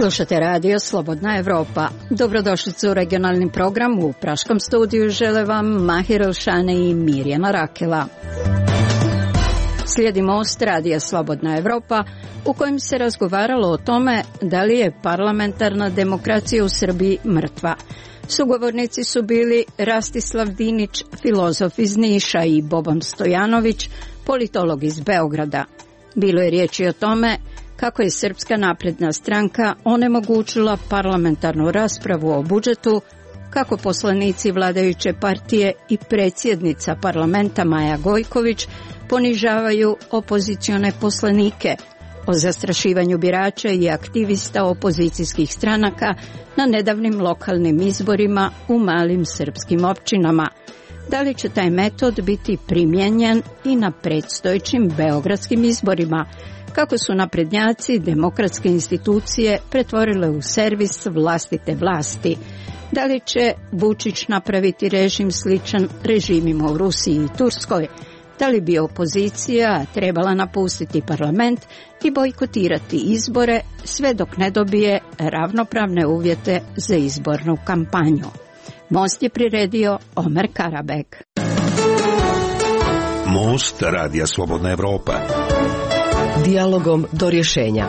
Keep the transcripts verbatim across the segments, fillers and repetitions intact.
Slušate radio Slobodna Evropa. Dobrodošlicu u regionalni program. U praškom studiju žele vam Mahir Elšane i Mirjana Rakela. Slijedi most radija Slobodna Evropa u kojem se razgovaralo o tome da li je parlamentarna demokracija u Srbiji mrtva. Sugovornici su bili Rastislav Dinić, filozof iz Niša, i Boban Stojanović, politolog iz Beograda. Bilo je riječi o tome kako je Srpska napredna stranka onemogućila parlamentarnu raspravu o budžetu, kako poslanici vladajuće partije i predsjednica parlamenta Maja Gojković ponižavaju opozicione poslanike, o zastrašivanju birača i aktivista opozicijskih stranaka na nedavnim lokalnim izborima u malim srpskim općinama. Da li će taj metod biti primijenjen i na predstojećim beogradskim izborima? Kako su naprednjaci demokratske institucije pretvorile u servis vlastite vlasti? Da li će Vučić napraviti režim sličan režimima u Rusiji i Turskoj? Da li bi opozicija trebala napustiti parlament i bojkotirati izbore sve dok ne dobije ravnopravne uvjete za izbornu kampanju? Most je priredio Omer Karabek. Most radija Slobodna Evropa. Dijalogom do rješenja.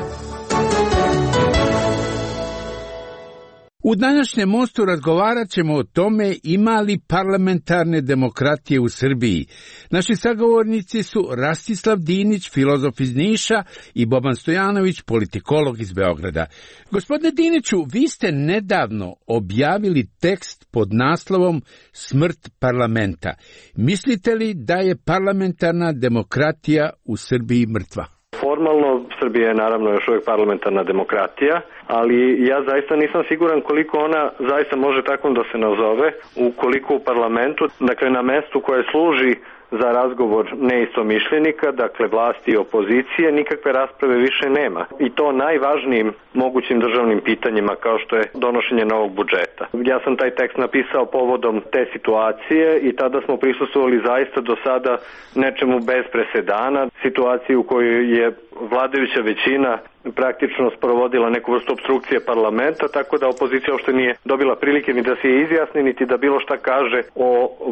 U današnjem mostu razgovarat ćemo o tome ima li parlamentarne demokratije u Srbiji. Naši sagovornici su Rastislav Dinić, filozof iz Niša, i Boban Stojanović, politikolog iz Beograda. Gospodine Diniću, vi ste nedavno objavili tekst pod naslovom Smrt parlamenta. Mislite li da je parlamentarna demokratija u Srbiji mrtva? Formalno Srbija je naravno još uvijek parlamentarna demokratija, ali ja zaista nisam siguran koliko ona zaista može tako da se nazove ukoliko u parlamentu, dakle na mestu koje služi za razgovor neistomišljenika, dakle vlasti i opozicije, nikakve rasprave više nema. I to najvažnijim mogućim državnim pitanjima kao što je donošenje novog budžeta. Ja sam taj tekst napisao povodom te situacije i tada smo prisustvovali zaista do sada nečemu bez presedana, situaciji u kojoj je vladajuća većina praktično sprovodila neku vrstu opstrukcije parlamenta, tako da opozicija uopšte nije dobila prilike ni da se izjasni, niti da bilo šta kaže o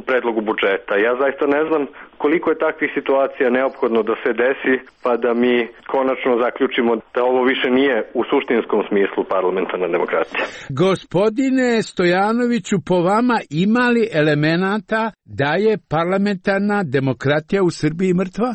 predlogu budžeta. Ja zaista ne znam koliko je takvih situacija neophodno da se desi, pa da mi konačno zaključimo da ovo više nije u suštinskom smislu parlamentarna demokratija. Gospodine Stojanoviću, po vama ima li elemenata da je parlamentarna demokratija u Srbiji mrtva?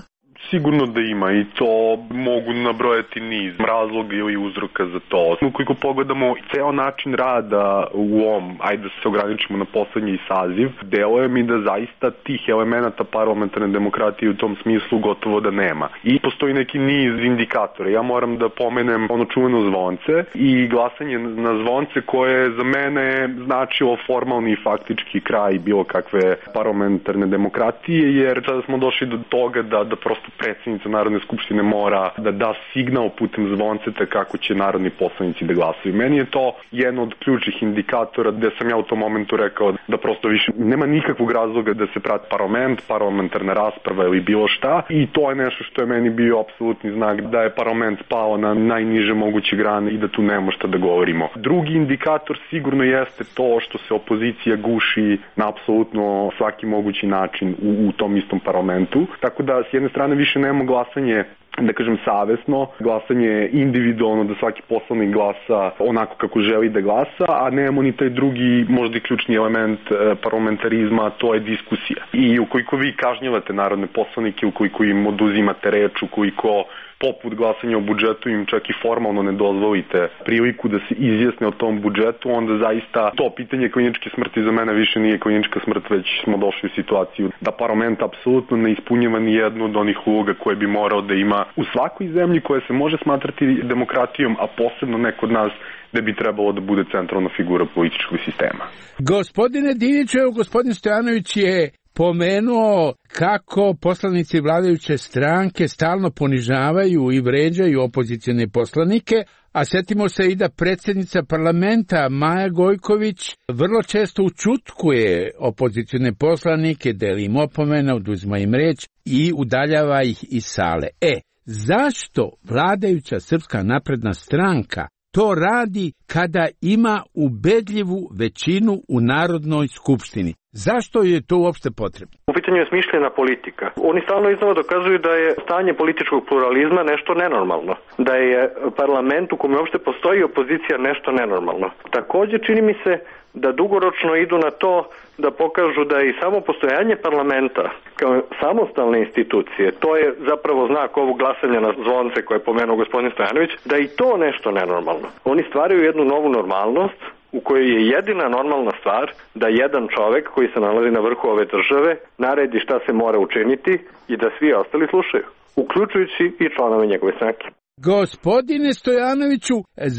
Sigurno da ima i to mogu nabrojati niz razloga ili uzroka za to. Ukoliko pogledamo ceo način rada u ovom, ajde da se ograničimo na poslednji saziv, deluje mi da zaista tih elemenata parlamentarne demokratije u tom smislu gotovo da nema. I postoji neki niz indikatora. Ja moram da pomenem ono čuveno zvonce i glasanje na zvonce koje je za mene značilo formalni i faktički kraj bilo kakve parlamentarne demokratije, jer sada smo došli do toga da, da prosto predsjednica Narodne skupštine mora da da signal putem zvonceta kako će narodni poslanici da glasaju. Meni je to jedan od ključnih indikatora gde sam ja u tom momentu rekao da prosto više nema nikakvog razloga da se prati parlament, parlamentarna rasprava ili bilo šta, i to je nešto što je meni bio apsolutni znak da je parlament spao na najniže moguće grane i da tu nema šta da govorimo. Drugi indikator sigurno jeste to što se opozicija guši na apsolutno svaki mogući način u, u tom istom parlamentu, tako da s jedne strane više nemamo glasanje, da kažem, savesno, glasanje individualno, da svaki poslanik glasa onako kako želi da glasa, a nemamo ni taj drugi, možda i ključni element parlamentarizma, to je diskusija. I ukoliko vi kažnjavate narodne poslanike, ukoliko im oduzimate reč, ukoliko poput glasanja o budžetu im čak i formalno ne dozvolite priliku da se izjasne o tom budžetu, onda zaista to pitanje kliničke smrti za mene više nije klinička smrt, već smo došli u situaciju da parlament apsolutno ne ispunjava ni jednu od onih uloga koje bi morao da ima u svakoj zemlji koja se može smatrati demokratijom, a posebno ne kod nas da bi trebalo da bude centralna figura političkog sistema. Gospodine Diniću, evo gospodin Stojanović je pomenuo kako poslanici vladajuće stranke stalno ponižavaju i vređaju opozicione poslanike, a setimo se i da predsjednica parlamenta Maja Gojković vrlo često učutkuje opozicione poslanike, deli im opomene, oduzima im reč i udaljava ih iz sale. E, zašto vladajuća Srpska napredna stranka to radi kada ima ubedljivu većinu u Narodnoj skupštini. Zašto je to uopšte potrebno? U pitanju je smišljena politika. Oni stalno iznova dokazuju da je stanje političkog pluralizma nešto nenormalno. Da je parlament u kome uopšte postoji opozicija nešto nenormalno. Takođe čini mi se da dugoročno idu na to da pokažu da i samo postojanje parlamenta kao samostalne institucije, to je zapravo znak ovog glasanja na zvonce koje je pomenuo gospodin Stojanović, da i to nešto nenormalno. Oni stvaraju jednu novu normalnost u kojoj je jedina normalna stvar da jedan čovek koji se nalazi na vrhu ove države naredi šta se mora učiniti i da svi ostali slušaju, uključujući i članove njegove stranke. Gospodine Stojanoviću,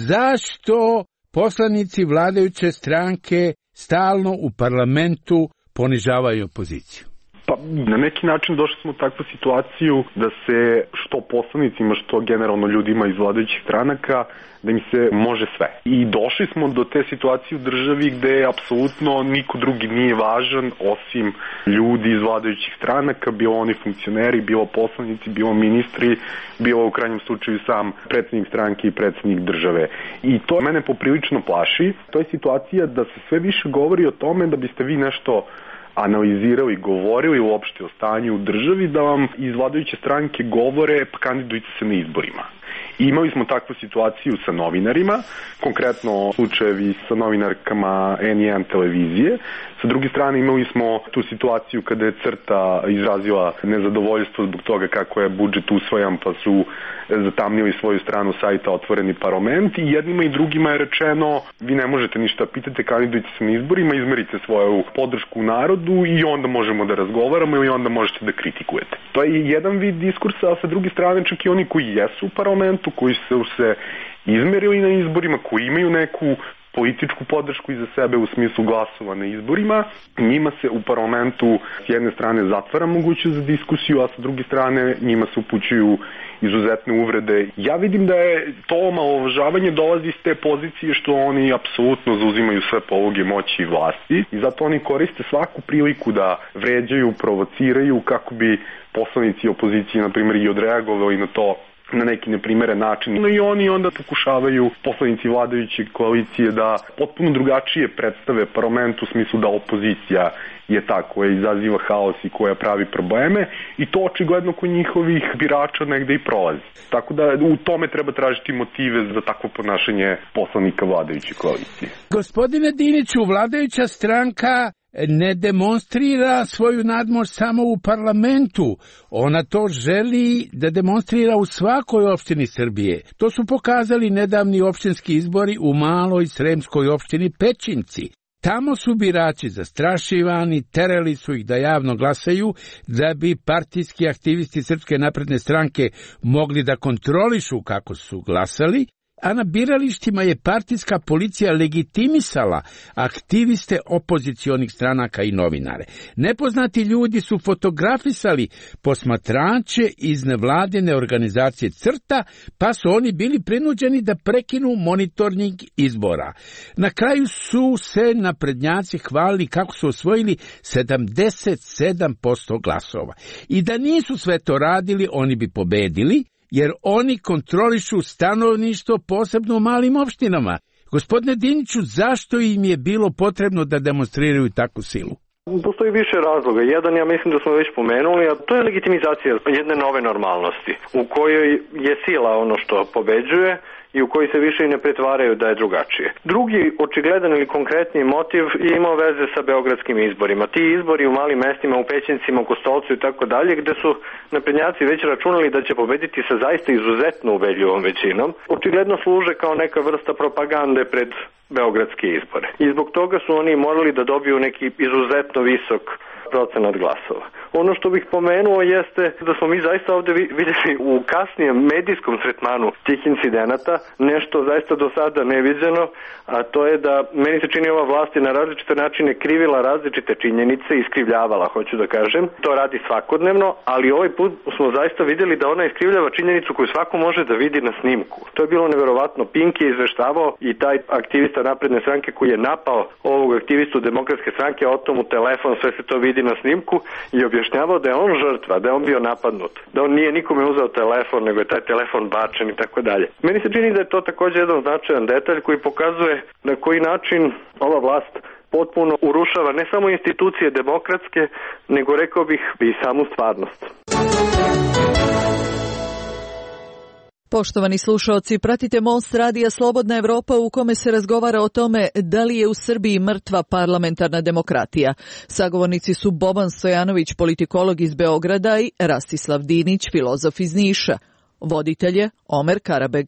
zašto poslanici vladajuće stranke stalno u parlamentu ponižavaju opoziciju? Pa na neki način došli smo u takvu situaciju da se što poslanicima, što generalno ljudima iz vladajućih stranaka, da im se može sve. I došli smo do te situacije u državi gde apsolutno niko drugi nije važan osim ljudi iz vladajućih stranaka, bilo oni funkcioneri, bilo poslanici, bilo ministri, bilo u krajnjem slučaju sam predsednik stranke i predsednik države. I to mene poprilično plaši. To je situacija da se sve više govori o tome da biste vi nešto analizirali, govorili uopšte o stanju u državi, da vam iz vladajuće stranke govore pa kandidujte se na izborima. I imali smo takvu situaciju sa novinarima, konkretno slučajevi sa novinarkama N jedan televizije. Sa druge strane imali smo tu situaciju kada je CRTA izrazila nezadovoljstvo zbog toga kako je budžet usvojan, pa su zatamnili svoju stranu sajta Otvoreni parlament, i jednima i drugima je rečeno vi ne možete ništa, pitate, kandidujte se na izborima, izmerite svoju podršku narodu i onda možemo da razgovaramo ili onda možete da kritikujete. To je jedan vid diskursa, a sa druge strane čak i oni koji jesu u parlamentu, koji su se izmerili na izborima, koji imaju neku političku podršku iza sebe u smislu glasova na izborima, njima se u parlamentu s jedne strane zatvara mogućnost za diskusiju, a sa druge strane njima se upućuju izuzetne uvrede. Ja vidim da je to omalovažavanje dolazi iz te pozicije što oni apsolutno zauzimaju sve poluge moći i vlasti i zato oni koriste svaku priliku da vređaju, provociraju kako bi poslanici opozicije, na primjer, i odreagovali na to na neki neprimeren način. No i oni onda pokušavaju, poslanici vladajuće koalicije, da potpuno drugačije predstave parlament u smislu da opozicija je ta koja izaziva haos i koja pravi probleme, i to očigledno kod njihovih birača negde i prolazi. Tako da u tome treba tražiti motive za takvo ponašanje poslanika vladajuće koalicije. Gospodine Diniću, vladajuća stranka ne demonstrira svoju nadmoć samo u parlamentu. Ona to želi da demonstrira u svakoj opštini Srbije. To su pokazali nedavni opštinski izbori u maloj sremskoj opštini Pećinci. Tamo su birači zastrašivani, terali su ih da javno glasaju, da bi partijski aktivisti Srpske napredne stranke mogli da kontrolišu kako su glasali, a na biralištima je partijska policija legitimisala aktiviste opozicionih stranaka i novinare. Nepoznati ljudi su fotografisali posmatrače iz nevladine organizacije CRTA, pa su oni bili prinuđeni da prekinu monitoring izbora. Na kraju su se naprednjaci hvalili kako su osvojili sedamdeset sedam posto glasova. I da nisu sve to radili, oni bi pobedili, jer oni kontrolišu stanovništvo posebno u malim opštinama. Gospodine Diniću, zašto im je bilo potrebno da demonstriraju takvu silu? Postoji više razloga. Jedan, ja mislim da smo već pomenuli, a to je legitimizacija jedne nove normalnosti, u kojoj je sila ono što pobeđuje i u koji se više i ne pretvaraju da je drugačije. Drugi očigledan ili konkretni motiv je imao veze sa beogradskim izborima. Ti izbori u malim mestima, u Pećincima, u Kostolcu i tako dalje, gde su naprednjaci već računali da će pobediti sa zaista izuzetno ubedljivom većinom, očigledno služe kao neka vrsta propagande pred beogradske izbore. I zbog toga su oni morali da dobiju neki izuzetno visok procenat glasova. Ono što bih pomenuo jeste da smo mi zaista ovde vidjeli u kasnijem medijskom tretmanu tih incidenata nešto zaista do sada neviđeno, a to je da meni se čini ova vlast je na različite načine krivila različite činjenice, iskrivljavala, hoću da kažem. To radi svakodnevno, ali ovaj put smo zaista vidjeli da ona iskrivljava činjenicu koju svako može da vidi na snimku. To je bilo neverovatno. Pink je izveštavao i taj aktivista napredne stranke koji je napao ovog aktivistu demokratske stranke, o tomu telefon, sve se to vidi na snimku i objašnjava objašnjavao da je on žrtva, da je on bio napadnut, da on nije nikome uzeo telefon, nego je taj telefon bačen i tako dalje. Meni se čini da je to također jedan značajan detalj koji pokazuje na koji način ova vlast potpuno urušava ne samo institucije demokratske, nego rekao bih i samu stvarnost. Poštovani slušaoci, pratite Most radija Slobodna Evropa u kome se razgovara o tome da li je u Srbiji mrtva parlamentarna demokratija. Sagovornici su Boban Stojanović, politikolog iz Beograda, i Rastislav Dinić, filozof iz Niša. Voditelj je Omer Karabeg.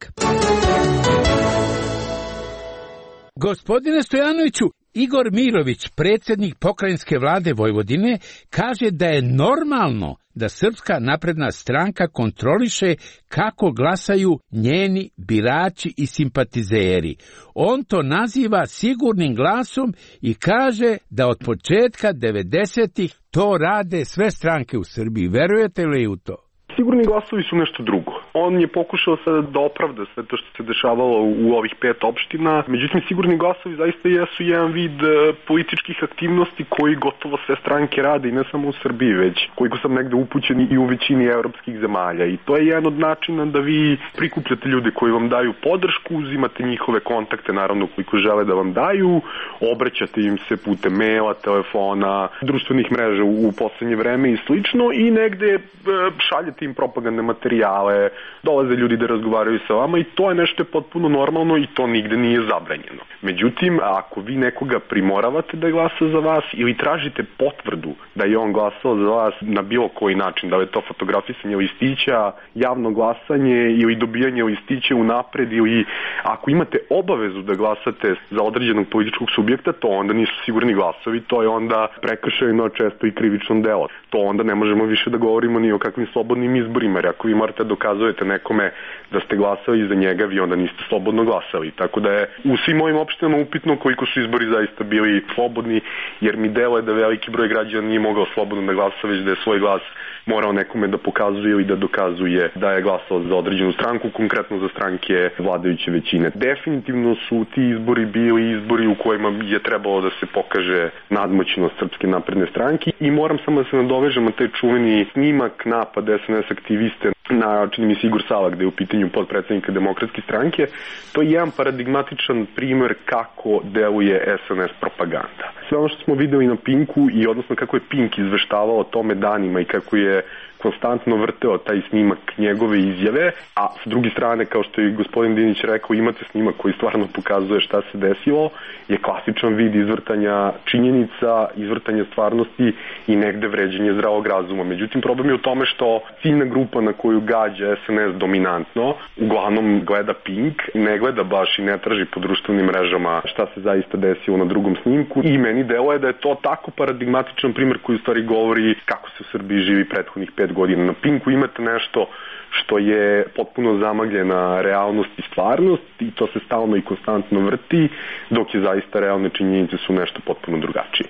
Gospodine Stojanoviću, Igor Mirović, predsjednik pokrajinske vlade Vojvodine, kaže da je normalno da Srpska napredna stranka kontroliše kako glasaju njeni birači i simpatizeri. On to naziva sigurnim glasom i kaže da od početka devedesetih to rade sve stranke u Srbiji. Verujete li u to? Sigurni glasovi su nešto drugo. On je pokušao sada da opravda sve to što se dešavalo u ovih pet opština. Međutim, sigurni glasovi zaista jesu jedan vid političkih aktivnosti koji gotovo sve stranke rade i ne samo u Srbiji, već koliko sam negde upućen i u većini evropskih zemalja. I to je jedan od načina da vi prikupljate ljude koji vam daju podršku, uzimate njihove kontakte, naravno koliko žele da vam daju, obraćate im se putem maila, telefona, društvenih mreža u poslednje vreme i slično, i negde šaljete im propagandne materijale, dolaze ljudi da razgovaraju sa vama i to je nešto potpuno normalno i to nigde nije zabranjeno. Međutim, ako vi nekoga primoravate da glasa za vas ili tražite potvrdu da je on glasao za vas na bilo koji način, da li je to fotografisanje listića, javno glasanje ili dobijanje listića unapred, ili ako imate obavezu da glasate za određenog političkog subjekta, to onda nisu sigurni glasovi, to je onda prekršajno, često i krivično delo. To onda ne možemo više da govorimo ni o kakvim slobodnim izborima, jer ako vi morate dokazujete nekome da ste glasali za njega, vi onda niste slobodno glasali. Tako da je u svim ovim opštinama upitno koliko su izbori zaista bili slobodni, jer mi deluje da veliki broj građana nije mogao slobodno da glasa, već da je svoj glas morao nekome da pokazuje ili da dokazuje da je glasao za određenu stranku, konkretno za stranke vladajuće većine. Definitivno su ti izbori bili izbori u kojima je trebalo da se pokaže nadmoćnost Srpske napredne stranke, i moram samo da se nadovežem na taj čuveni snimak napad es en es aktiviste na, čini mi se, Igor Sala, gde je u pitanju podpredsednika Demokratske stranke. To je jedan paradigmatičan primer kako deluje es en es propaganda. Sve ono što smo videli na Pinku, i odnosno kako je Pink izveštavao o tome danima i kako je konstantno vrteo taj snimak njegove izjave, a s druge strane, kao što je gospodin Dinić rekao, imate snimak koji stvarno pokazuje šta se desilo, je klasičan vid izvrtanja činjenica, izvrtanja stvarnosti i negde vređenje zdravog razuma. Međutim, problem je u tome što ciljna grupa na koju gađa es en es dominantno uglavnom gleda Pink, ne gleda baš i ne traži po društvenim mrežama šta se zaista desilo na drugom snimku, i meni deluje da je to tako paradigmatičan primer koji u stvari govori kako se u Srbiji živi prethodnih pet godina. Na Pinku imate nešto što je potpuno zamagljena realnost i stvarnost, i to se stalno i konstantno vrti, dok je zaista realne činjenice su nešto potpuno drugačije.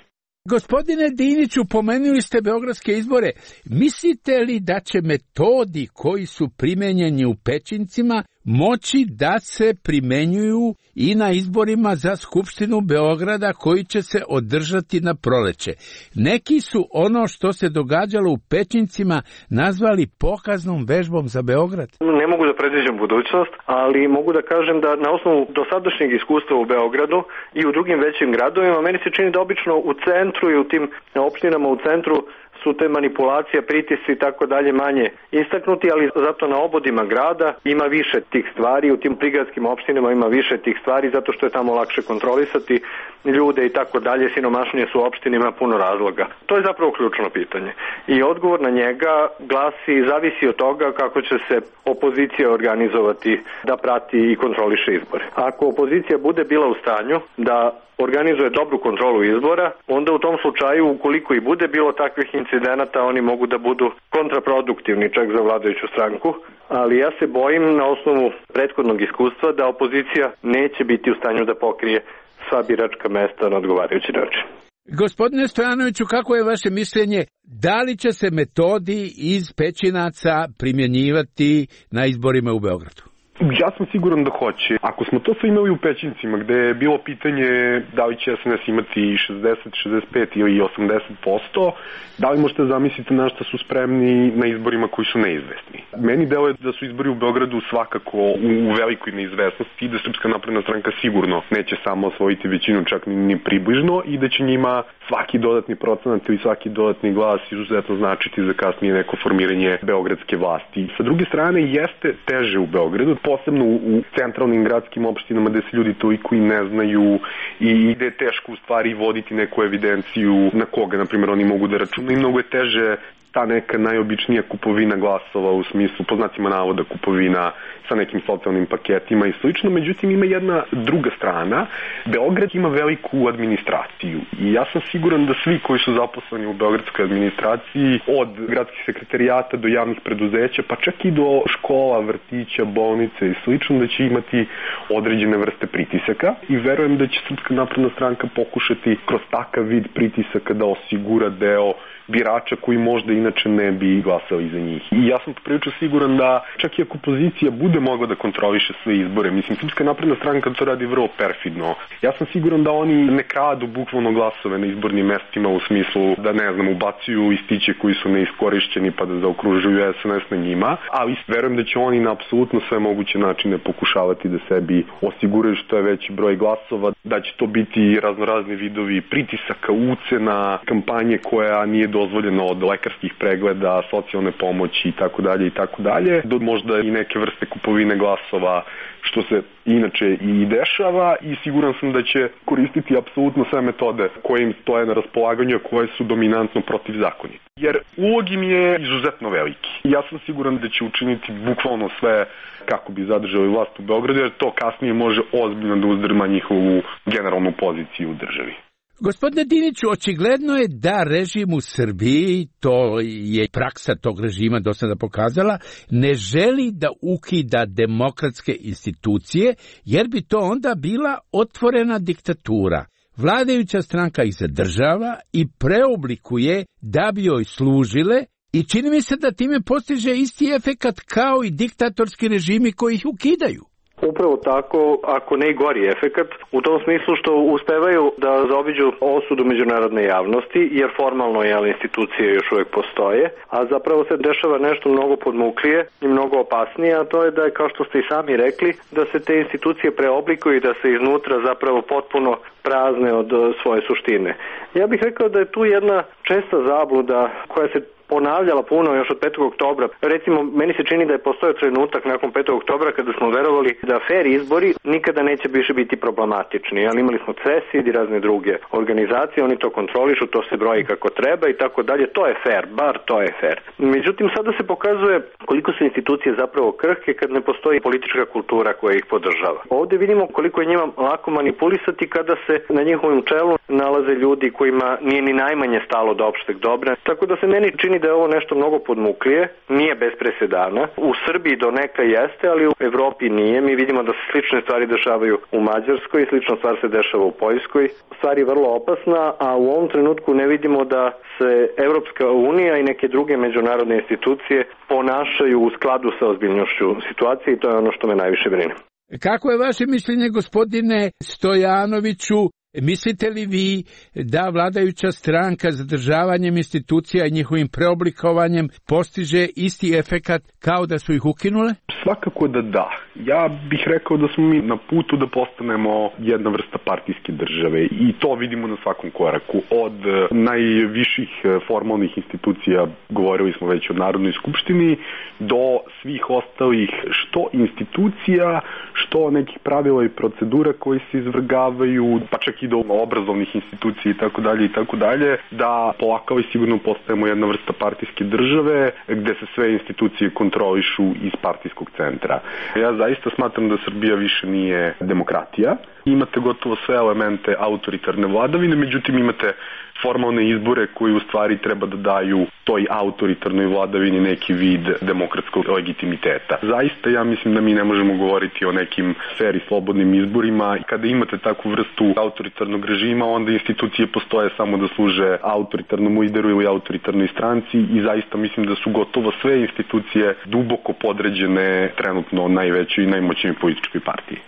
Gospodine Diniću, pomenuli ste beogradske izbore. Mislite li da će metodi koji su primenjeni u Pećincima moći da se primenjuju i na izborima za Skupštinu Beograda koji će se održati na proleće? Neki su ono što se događalo u Pećincima nazvali pokaznom vežbom za Beograd. Ne mogu da predviđam budućnost, ali mogu da kažem da na osnovu dosadašnjeg iskustva u Beogradu i u drugim većim gradovima, meni se čini da obično u centru i u tim opštinama u centru su te manipulacije, pritisci i tako dalje manje istaknuti, ali zato na obodima grada ima više tih stvari, u tim prigradskim opštinama ima više tih stvari zato što je tamo lakše kontrolisati ljude i tako dalje, siromašnije su opštine, ima puno razloga. To je zapravo ključno pitanje. I odgovor na njega glasi, zavisi od toga kako će se opozicija organizovati da prati i kontroliše izbore. Ako opozicija bude bila u stanju da organizuje dobru kontrolu izbora, onda u tom slučaju, ukoliko i bude bilo takvih incidenata, oni mogu da budu kontraproduktivni čak za vladajuću stranku, ali ja se bojim na osnovu prethodnog iskustva da opozicija neće biti u stanju da pokrije sva biračka mesta na odgovarajući način. Gospodine Stojanoviću, kako je vaše mišljenje, da li će se metodi iz Pećinaca primjenjivati na izborima u Beogradu? Ja sam siguran da hoće. Ako smo to sve imali u Pećincima, gde je bilo pitanje da li će S N S imati šezdeset, šezdeset pet ili osamdeset posto, da li možete zamisliti na šta su spremni na izborima koji su neizvesni? Meni deluje da su izbori u Beogradu svakako u velikoj neizvesnosti i da Srpska napredna stranka sigurno neće samo osvojiti većinu, čak ni, ni približno, i da će njima svaki dodatni procenat ili svaki dodatni glas izuzetno značiti za kasnije neko formiranje beogradske vlasti. Sa druge strane, jeste teže u Beogradu, posebno u centralnim gradskim opštinama gde se ljudi toliko i ne znaju i gde je teško u stvari voditi neku evidenciju na koga, na primjer, oni mogu da računaju, i mnogo je teže ta neka najobičnija kupovina glasova, u smislu, po znacima navoda, kupovina sa nekim socijalnim paketima i slično. Međutim, ima jedna druga strana. Beograd ima veliku administraciju i ja sam siguran da svi koji su zaposleni u beogradskoj administraciji, od gradskih sekretarijata do javnih preduzeća, pa čak i do škola, vrtića, bolnice i slično, da će imati određene vrste pritisaka, i verujem da će Srpska napredna stranka pokušati kroz takav vid pritisaka da osigura deo birača koji možda inače ne bi glasali za njih. I ja sam prilično siguran da čak i ako opozicija bude mogla da kontroliše sve izbore, mislim, Srpska napredna stranka to radi vrlo perfidno. Ja sam siguran da oni ne kradu bukvalno glasove na izbornim mestima, u smislu da, ne znam, ubacuju istiće koji su neiskorišćeni pa da zaokružuju S N S na njima, ali verujem da će oni na apsolutno sve moguće načine pokušavati da sebi osiguraju što je veći broj glasova, da će to biti raznorazni vidovi pritisaka, ucena, kampanje koja nije dozvoljena, od lekarskih pregleda, socijalne pomoći i tako dalje i tako dalje, do možda i neke vrste kupovine glasova, što se inače i dešava, i siguran sam da će koristiti apsolutno sve metode koje im stoje na raspolaganju, koje su dominantno protivzakonite. Jer ulog im je izuzetno veliki. Ja sam siguran da će učiniti bukvalno sve kako bi zadržali vlast u Beogradu, jer to kasnije može ozbiljno da uzdrma njihovu generalnu poziciju u državi. Gospodine Diniću, očigledno je da režim u Srbiji, to je praksa tog režima do sada pokazala, ne želi da ukida demokratske institucije, jer bi to onda bila otvorena diktatura. Vladajuća stranka ih zadržava i preoblikuje da bi joj služile, i čini mi se da time postiže isti efekat kao i diktatorski režimi koji ih ukidaju. Upravo tako, ako ne i gori efekat, u tom smislu što uspevaju da zaobiđu osudu međunarodne javnosti, jer formalno jel, institucije još uvek postoje, a zapravo se dešava nešto mnogo podmuklije i mnogo opasnije, a to je da je, kao što ste i sami rekli, da se te institucije preoblikuju i da se iznutra zapravo potpuno prazne od svoje suštine. Ja bih rekao da je tu jedna česta zabluda koja se ponavljala puno još od petog oktobra. Recimo, meni se čini da je postojao trenutak nakon petog oktobra kada smo verovali da fer izbori nikada neće više biti problematični, ali imali smo CESID i razne druge organizacije, oni to kontrolišu, to se broji kako treba i tako dalje, to je fer, bar to je fer. Međutim, sada se pokazuje koliko su institucije zapravo krhke kad ne postoji politička kultura koja ih podržava. Ovde vidimo koliko je njima lako manipulisati kada se na njihovim čelu nalaze ljudi kojima nije ni najmanje stalo do opšteg dobra, tako da se meni čini da je ovo nešto mnogo podmuklije, nije bez presedana. U Srbiji do neka jeste, ali u Evropi nije. Mi vidimo da se slične stvari dešavaju u Mađarskoj, slična stvar se dešava u Poljskoj. Stvar je vrlo opasna, a u ovom trenutku ne vidimo da se Evropska unija i neke druge međunarodne institucije ponašaju u skladu sa ozbiljnošću situacije, i to je ono što me najviše brine. Kako je vaše mišljenje, gospodine Stojanoviću? Mislite li vi da vladajuća stranka zadržavanjem institucija i njihovim preoblikovanjem postiže isti efekat kao da su ih ukinule? Svakako da da. Ja bih rekao da smo mi na putu da postanemo jedna vrsta partijske države, i to vidimo na svakom koraku. Od najviših formalnih institucija, govorili smo već o Narodnoj skupštini, do svih ostalih što institucija, što nekih pravila i procedura koji se izvrgavaju, pa čak i do obrazovnih institucija i tako dalje i tako dalje, da polako i sigurno postajemo jedna vrsta partijske države gde se sve institucije kontrolišu iz partijskog centra. Ja zaista smatram da Srbija više nije demokratija. Imate gotovo sve elemente autoritarne vladavine, međutim imate formalne izbore koji u stvari treba da daju toj autoritarnoj vladavini neki vid demokratskog legitimiteta. Zaista ja mislim da mi ne možemo govoriti o nekim fer i slobodnim izborima. Kada imate takvu vrstu autoritarnog režima, onda institucije postoje samo da služe autoritarnom lideru ili autoritarnoj stranci i zaista mislim da su gotovo sve institucije duboko podređene trenutno najvećoj i najmoćnijoj političkoj partiji.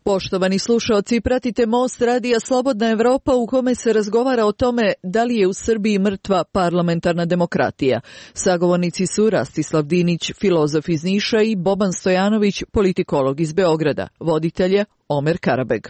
Poštovani slušaoci, pratite Most radija Slobodna Evropa u kome se razgovara o tome da li je u Srbiji mrtva parlamentarna demokratija. Sagovornici su Rastislav Dinić, filozof iz Niša i Boban Stojanović, politikolog iz Beograda. Voditelj je Omer Karabeg.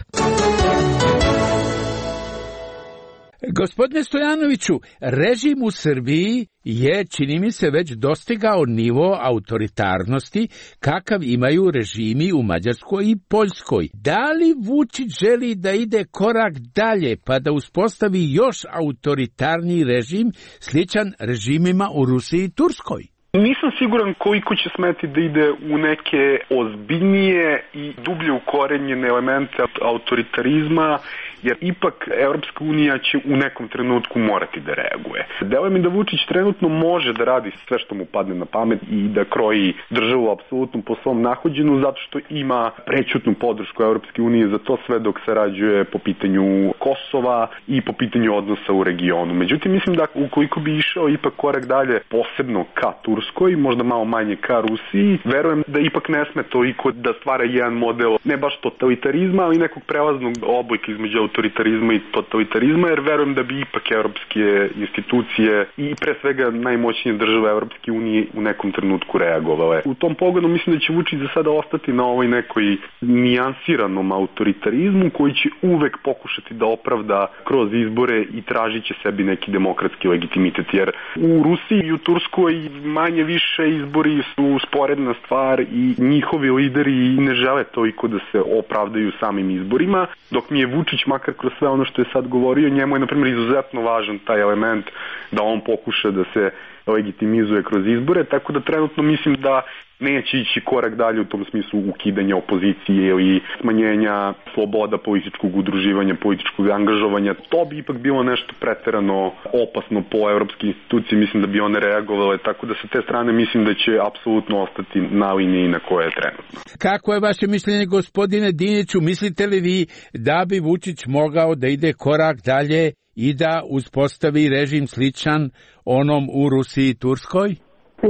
Gospodine Stojanoviću, režim u Srbiji je, čini mi se, već dostigao nivo autoritarnosti kakav imaju režimi u Mađarskoj i Poljskoj. Da li Vučić želi da ide korak dalje pa da uspostavi još autoritarniji režim sličan režimima u Rusiji i Turskoj? Nisam siguran koliko će smeti da ide u neke ozbiljnije i dublje ukorenjene elemente autoritarizma, jer ipak Evropska unija će u nekom trenutku morati da reaguje. Deluje mi da Vučić trenutno može da radi sve što mu padne na pamet i da kroji državu apsolutno po svom nahođenu, zato što ima prećutnu podršku Evropske unije za to sve dok se rađuje po pitanju Kosova i po pitanju odnosa u regionu. Međutim, mislim da ukoliko bi išao ipak korak dalje, posebno ka Turskoj, možda malo manje ka Rusiji, verujem da ipak ne sme toliko da stvara jedan model, ne baš totalitarizma, ali nekog prelaznog oblika između autoritarizma i totalitarizma, jer verujem da bi ipak evropske institucije i pre svega najmoćnije države Evropske unije u nekom trenutku reagovale. U tom pogledu mislim da će Vučić za sada ostati na ovoj nekoj nijansiranom autoritarizmu koji će uvek pokušati da opravda kroz izbore i tražit će sebi neki demokratski legitimitet, jer u Rusiji i u Turskoj manje više izbori su sporedna stvar i njihovi lideri ne žele toliko da se opravdaju samim izborima, dok mi je Vučić makar kroz sve ono što je sad govorio, njemu je na primjer izuzetno važan taj element da on pokuša da se legitimizuje kroz izbore, tako da trenutno mislim da neće ići korak dalje u tom smislu ukidanja opozicije ili smanjenja sloboda političkog udruživanja, političkog angažovanja. To bi ipak bilo nešto preterano opasno po evropske institucije, mislim da bi one reagovale, tako da sa te strane mislim da će apsolutno ostati na liniji na koje je trenutno. Kako je vaše mišljenje, gospodine Diniću? Mislite li vi da bi Vučić mogao da ide korak dalje i da uspostavi režim sličan onom u Rusiji i Turskoj?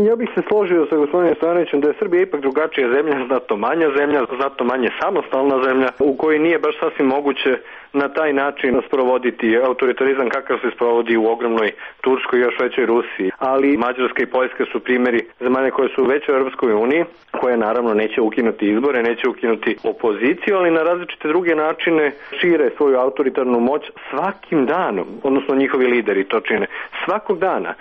Ja bih se složio sa gospodinom Stojanovićem da je Srbija ipak drugačija zemlja, znatno manja zemlja, znatno manje samostalna zemlja, u kojoj nije baš sasvim moguće na taj način sprovoditi autoritarizam kakav se sprovodi u ogromnoj Turskoj i još većoj Rusiji. Ali Mađarska i Poljska su primjeri zemalja koje su već u Europskoj uniji, koje naravno neće ukinuti izbore, neće ukinuti opoziciju, ali na različite druge načine šire svoju autoritarnu moć svakim danom, odnosno njihovi lideri to čine svakog dana.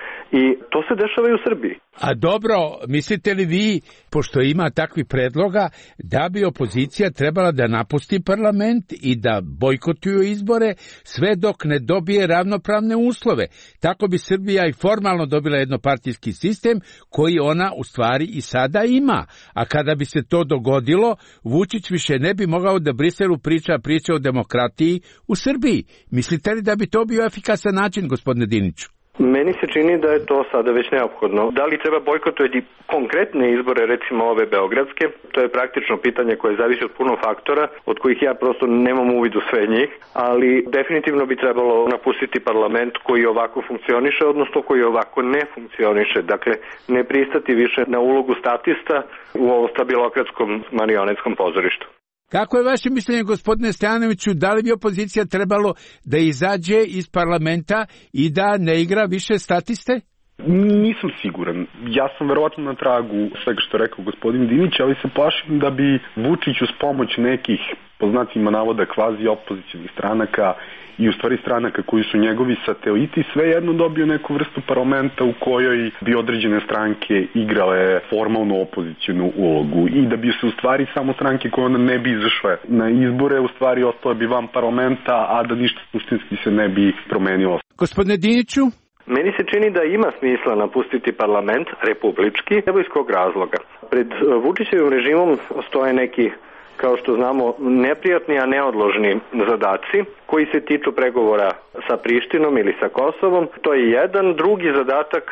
I to se dešava i u Srbiji. A dobro, mislite li vi, pošto ima takvih predloga, da bi opozicija trebala da napusti parlament i da bojkotuju izbore sve dok ne dobije ravnopravne uslove? Tako bi Srbija i formalno dobila jednopartijski sistem koji ona u stvari i sada ima. A kada bi se to dogodilo, Vučić više ne bi mogao da Briselu priča priče o demokratiji u Srbiji. Mislite li da bi to bio efikasan način, gospodine Diniću? Meni se čini da je to sada već neophodno. Da li treba bojkotovati konkretne izbore, recimo ove beogradske? To je praktično pitanje koje zavisi od puno faktora, od kojih ja prosto nemam uvid u sve njih, ali definitivno bi trebalo napustiti parlament koji ovako funkcioniše, odnosno koji ovako ne funkcioniše. Dakle, ne pristati više na ulogu statista u ovom stabilokratskom marionetskom pozorištu. Kako je vaše mišljenje, gospodine Stojanoviću, da li bi opozicija trebalo da izađe iz parlamenta i da ne igra više statiste? Nisam siguran. Ja sam verovatno na tragu svega što je rekao gospodin Dinić, ali se plašim da bi Vučić uz pomoć nekih, po znacima navoda, kvazi opozicionih stranaka i u stvari stranaka koji su njegovi sateliti, svejedno dobio neku vrstu parlamenta u kojoj bi određene stranke igrale formalnu opozicijnu ulogu i da bi se u stvari samo stranke koje onda ne bi izašle na izbore, u stvari ostale bi van parlamenta, a da ništa suštinski se ne bi promenilo. Gospodine Diniću? Meni se čini da ima smisla napustiti parlament republički, evo iz kog razloga. Pred Vučićevim režimom stoje neki kao što znamo, neprijatni, a neodložni zadaci koji se tiču pregovora sa Prištinom ili sa Kosovom. To je jedan. Drugi zadatak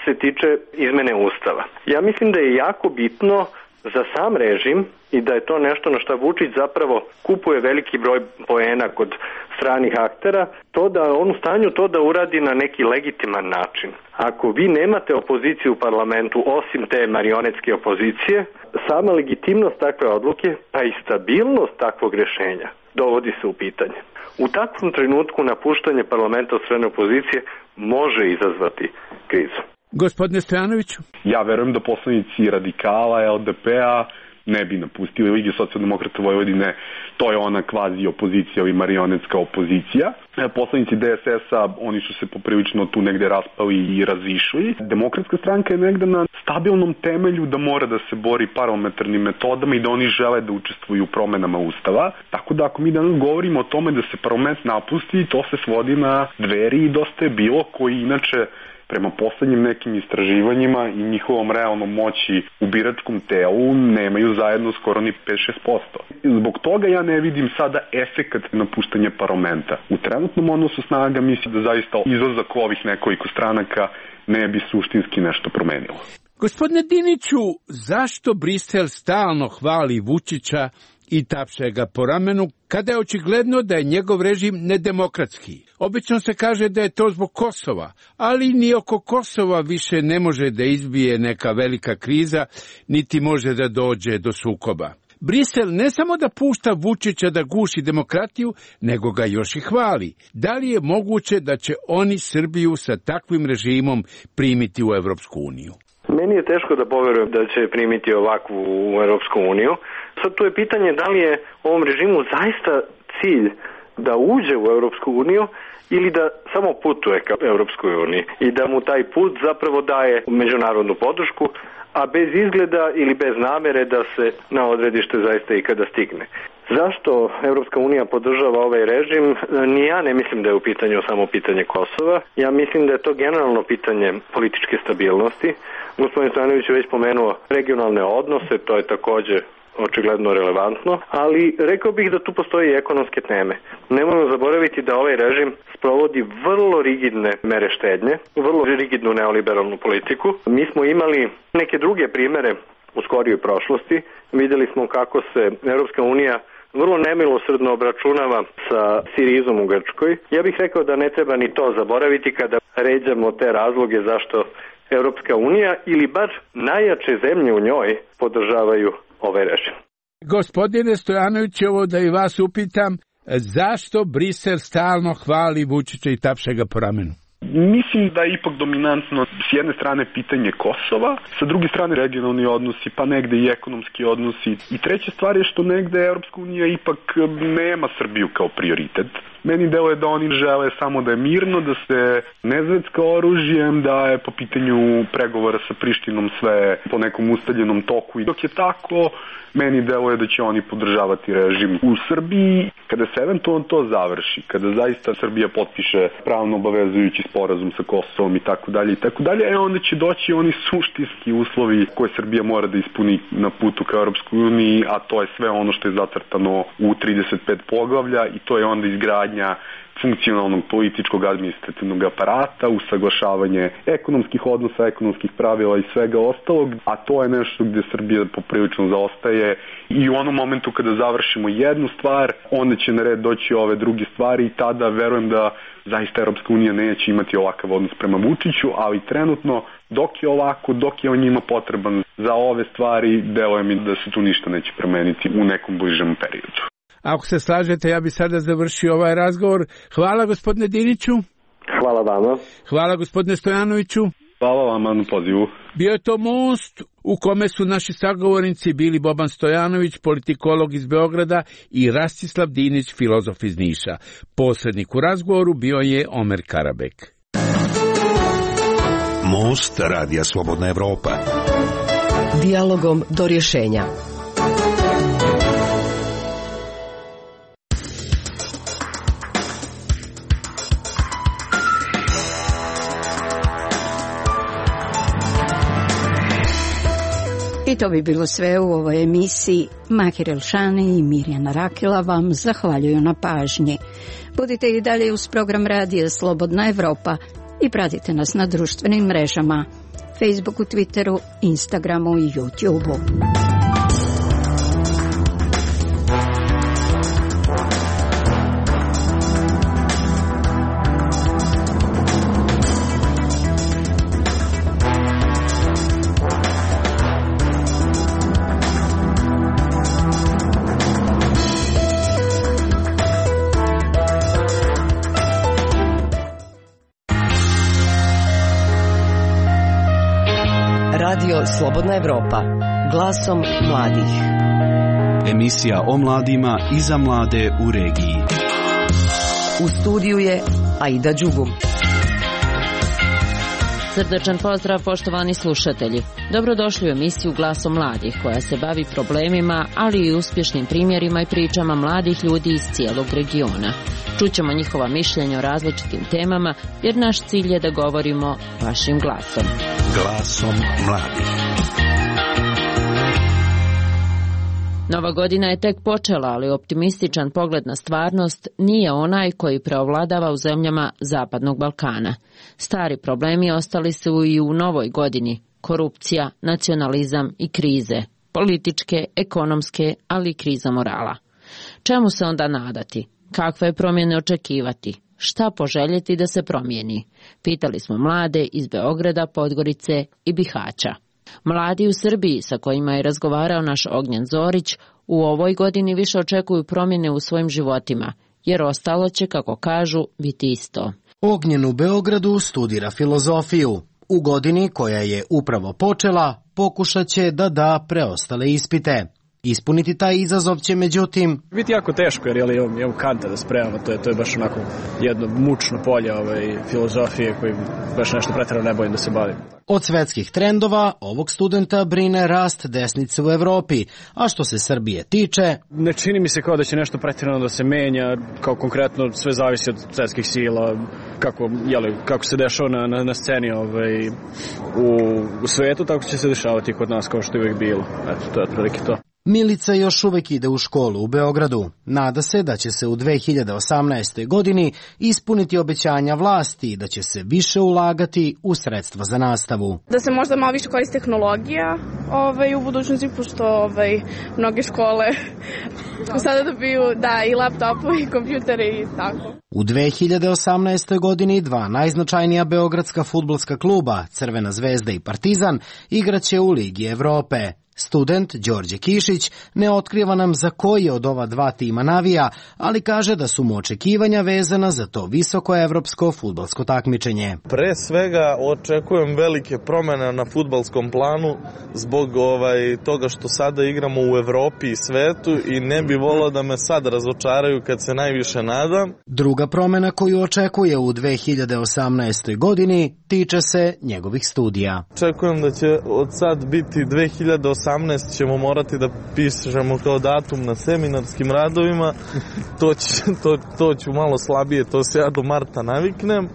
se tiče izmene Ustava. Ja mislim da je jako bitno za sam režim i da je to nešto na što Vučić zapravo kupuje veliki broj poena kod stranih aktera, to da on u stanju to da uradi na neki legitiman način. Ako vi nemate opoziciju u parlamentu osim te marionetske opozicije, sama legitimnost takve odluke, pa i stabilnost takvog rješenja dovodi se u pitanje. U takvom trenutku napuštanje parlamenta od strane opozicije može izazvati krizu. Gospodine Stojanoviću? Ja verujem da poslanici Radikala, L D P-a ne bi napustili Lige socijaldemokrata Vojvodine, to je ona kvazi opozicija i marionetska opozicija. Poslanici D S S-a, oni su se poprilično tu negde raspali i razišli. Demokratska stranka je negde na stabilnom temelju da mora da se bori parlamentarnim metodama i da oni žele da učestvuju u promenama Ustava. Tako da ako mi danas govorimo o tome da se parlament napusti, to se svodi na Dveri i Dosta je bilo, koji inače prema poslednjim nekim istraživanjima i njihovom realnom moći u biračkom telu nemaju zajedno skoro ni pet do šest posto. Zbog toga ja ne vidim sada efekat napuštanja parlamenta. U trenutnom odnosu snaga mislim da zaista izlazak ovih nekoliko stranaka ne bi suštinski nešto promenilo. Gospodine Diniću, zašto Brisel stalno hvali Vučića i tapše ga po ramenu, kada je očigledno da je njegov režim nedemokratski? Obično se kaže da je to zbog Kosova, ali ni oko Kosova više ne može da izbije neka velika kriza, niti može da dođe do sukoba. Brisel ne samo da pušta Vučića da guši demokratiju, nego ga još i hvali. Da li je moguće da će oni Srbiju sa takvim režimom primiti u Evropsku uniju? Meni je teško da poverujem da će primiti ovakvu u Europsku uniju. Sad tu je pitanje da li je ovom režimu zaista cilj da uđe u Europsku uniju ili da samo putuje ka Europskoj uniji i da mu taj put zapravo daje međunarodnu podršku, a bez izgleda ili bez namere da se na odredište zaista i kada stigne. Zašto Europska unija podržava ovaj režim? Ni ja ne mislim da je u pitanju samo pitanje Kosova. Ja mislim da je to generalno pitanje političke stabilnosti. Gospodin Stojanović je već pomenuo regionalne odnose, to je takođe očigledno relevantno, ali rekao bih da tu postoji i ekonomske teme. Nemojmo zaboraviti da ovaj režim sprovodi vrlo rigidne mere štednje, vrlo rigidnu neoliberalnu politiku. Mi smo imali neke druge primere u skorijoj prošlosti. Videli smo kako se Europska unija vrlo nemilosrdno obračunava sa Sirizom u Grčkoj. Ja bih rekao da ne treba ni to zaboraviti kada ređamo te razloge zašto Europska unija ili bar najjače zemlje u njoj podržavaju ovaj režim. Gospodine Stojanović, ovo da i vas upitam, zašto Brisel stalno hvali Vučića i tapše ga po ramenu? Mislim da je ipak dominantno s jedne strane pitanje Kosova, sa druge strane regionalni odnosi, pa negde i ekonomski odnosi. I treća stvar je što negde Europska unija ipak nema Srbiju kao prioritet. Meni deluje da oni žele samo da je mirno, da se ne zvecka oružjem, da je po pitanju pregovora sa Prištinom sve po nekom ustaljenom toku. I dok je tako, meni deluje da će oni podržavati režim u Srbiji. Kada se eventualno to završi, kada zaista Srbija potpiše pravno obavezujući sporazum sa Kosovom i tako dalje i tako dalje, e onda će doći oni suštinski uslovi koje Srbija mora da ispuni na putu ka Europskoj uniji, a to je sve ono što je zacrtano u trideset pet poglavlja i to je onda izgradnja funkcionalnog političkog administrativnog aparata, usaglašavanje ekonomskih odnosa, ekonomskih pravila i svega ostalog, a to je nešto gde Srbija poprilično zaostaje i u onom momentu kada završimo jednu stvar, onda će na red doći ove druge stvari i tada verujem da zaista Europska unija neće imati ovakav odnos prema Vučiću, ali trenutno dok je ovako, dok je on njima potreban za ove stvari, deluje mi da se tu ništa neće promeniti u nekom bližem periodu. Ako se slažete, ja bi sada završio ovaj razgovor. Hvala gospodine Diniću. Hvala vama. Hvala gospodine Stojanoviću. Hvala vama na pozivu. Bio je to Most u kome su naši sagovornici bili Boban Stojanović, politikolog iz Beograda, i Rastislav Dinić, filozof iz Niša. Posrednik u razgovoru bio je Omer Karabek. Most Radija Slobodna Evropa. Dijalogom do rješenja. I to bi bilo sve u ovoj emisiji. Mahir Elšani i Mirjana Rakila vam zahvaljuju na pažnji. Budite i dalje uz program Radija Slobodna Evropa i pratite nas na društvenim mrežama, Facebooku, Twitteru, Instagramu i YouTubeu. Radio Slobodna Evropa, glasom mladih. Emisija o mladima i za mlade u regiji. U studiju je Aida Đugum. Srdačan pozdrav, poštovani slušatelji. Dobrodošli u emisiju Glasom mladih, koja se bavi problemima, ali i uspješnim primjerima i pričama mladih ljudi iz cijelog regiona. Čućemo njihova mišljenja o različitim temama, jer naš cilj je da govorimo vašim glasom. Glasom mladih. Nova godina je tek počela, ali optimističan pogled na stvarnost nije onaj koji preovladava u zemljama Zapadnog Balkana. Stari problemi ostali su i u novoj godini: korupcija, nacionalizam i krize, političke, ekonomske, ali i kriza morala. Čemu se onda nadati? Kakve promjene očekivati? Šta poželjeti da se promijeni? Pitali smo mlade iz Beograda, Podgorice i Bihaća. Mladi u Srbiji, sa kojima je razgovarao naš Ognjen Zorić, u ovoj godini više očekuju promjene u svojim životima, jer ostalo će, kako kažu, biti isto. Ognjen u Beogradu studira filozofiju. U godini koja je upravo počela, pokušat će da da preostale ispite. Ispuniti taj izazov će, međutim, biti jako teško, jer je imam Kanta da spremamo, to je, to je baš onako jedno mučno polje ovaj, filozofije koji baš nešto pretjerano ne bojim da se bavim. Od svetskih trendova ovog studenta brine rast desnice u Evropi, a što se Srbije tiče, ne čini mi se kao da će nešto pretjerano da se menja, kao konkretno sve zavisi od svetskih sila, kako, jeli, kako se dešava na, na, na sceni ovaj, u, u svetu, tako će se dešavati kod nas kao što je uvijek bilo. Eto, to je otprilike to. Milica još uvek ide u školu u Beogradu. Nada se da će se u dve hiljade osamnaestoj. godini ispuniti obećanja vlasti i da će se više ulagati u sredstva za nastavu. Da se možda malo više koristi tehnologija ovaj, u budućnosti, pošto ovaj, mnoge škole sada dobiju da, i laptopove i kompjutere i tako. U dve hiljade osamnaestoj. godini dva najznačajnija beogradska fudbalska kluba, Crvena zvezda i Partizan, igraće u Ligi Evrope. Student Đorđe Kišić ne otkriva nam za koji od ova dva tima navija, ali kaže da su mu očekivanja vezana za to visoko evropsko fudbalsko takmičenje. Pre svega očekujem velike promjene na fudbalskom planu zbog ovaj, toga što sada igramo u Evropi i svetu i ne bi volio da me sad razočaraju kad se najviše nadam. Druga promjena koju očekuje u dve hiljade osamnaestoj. godini tiče se njegovih studija. Očekujem da će od sad biti dve hiljade osamnaeste. ćemo morati da pišemo kao datum na seminarskim radovima, to, će, to, to ću malo slabije, to se ja do marta naviknem.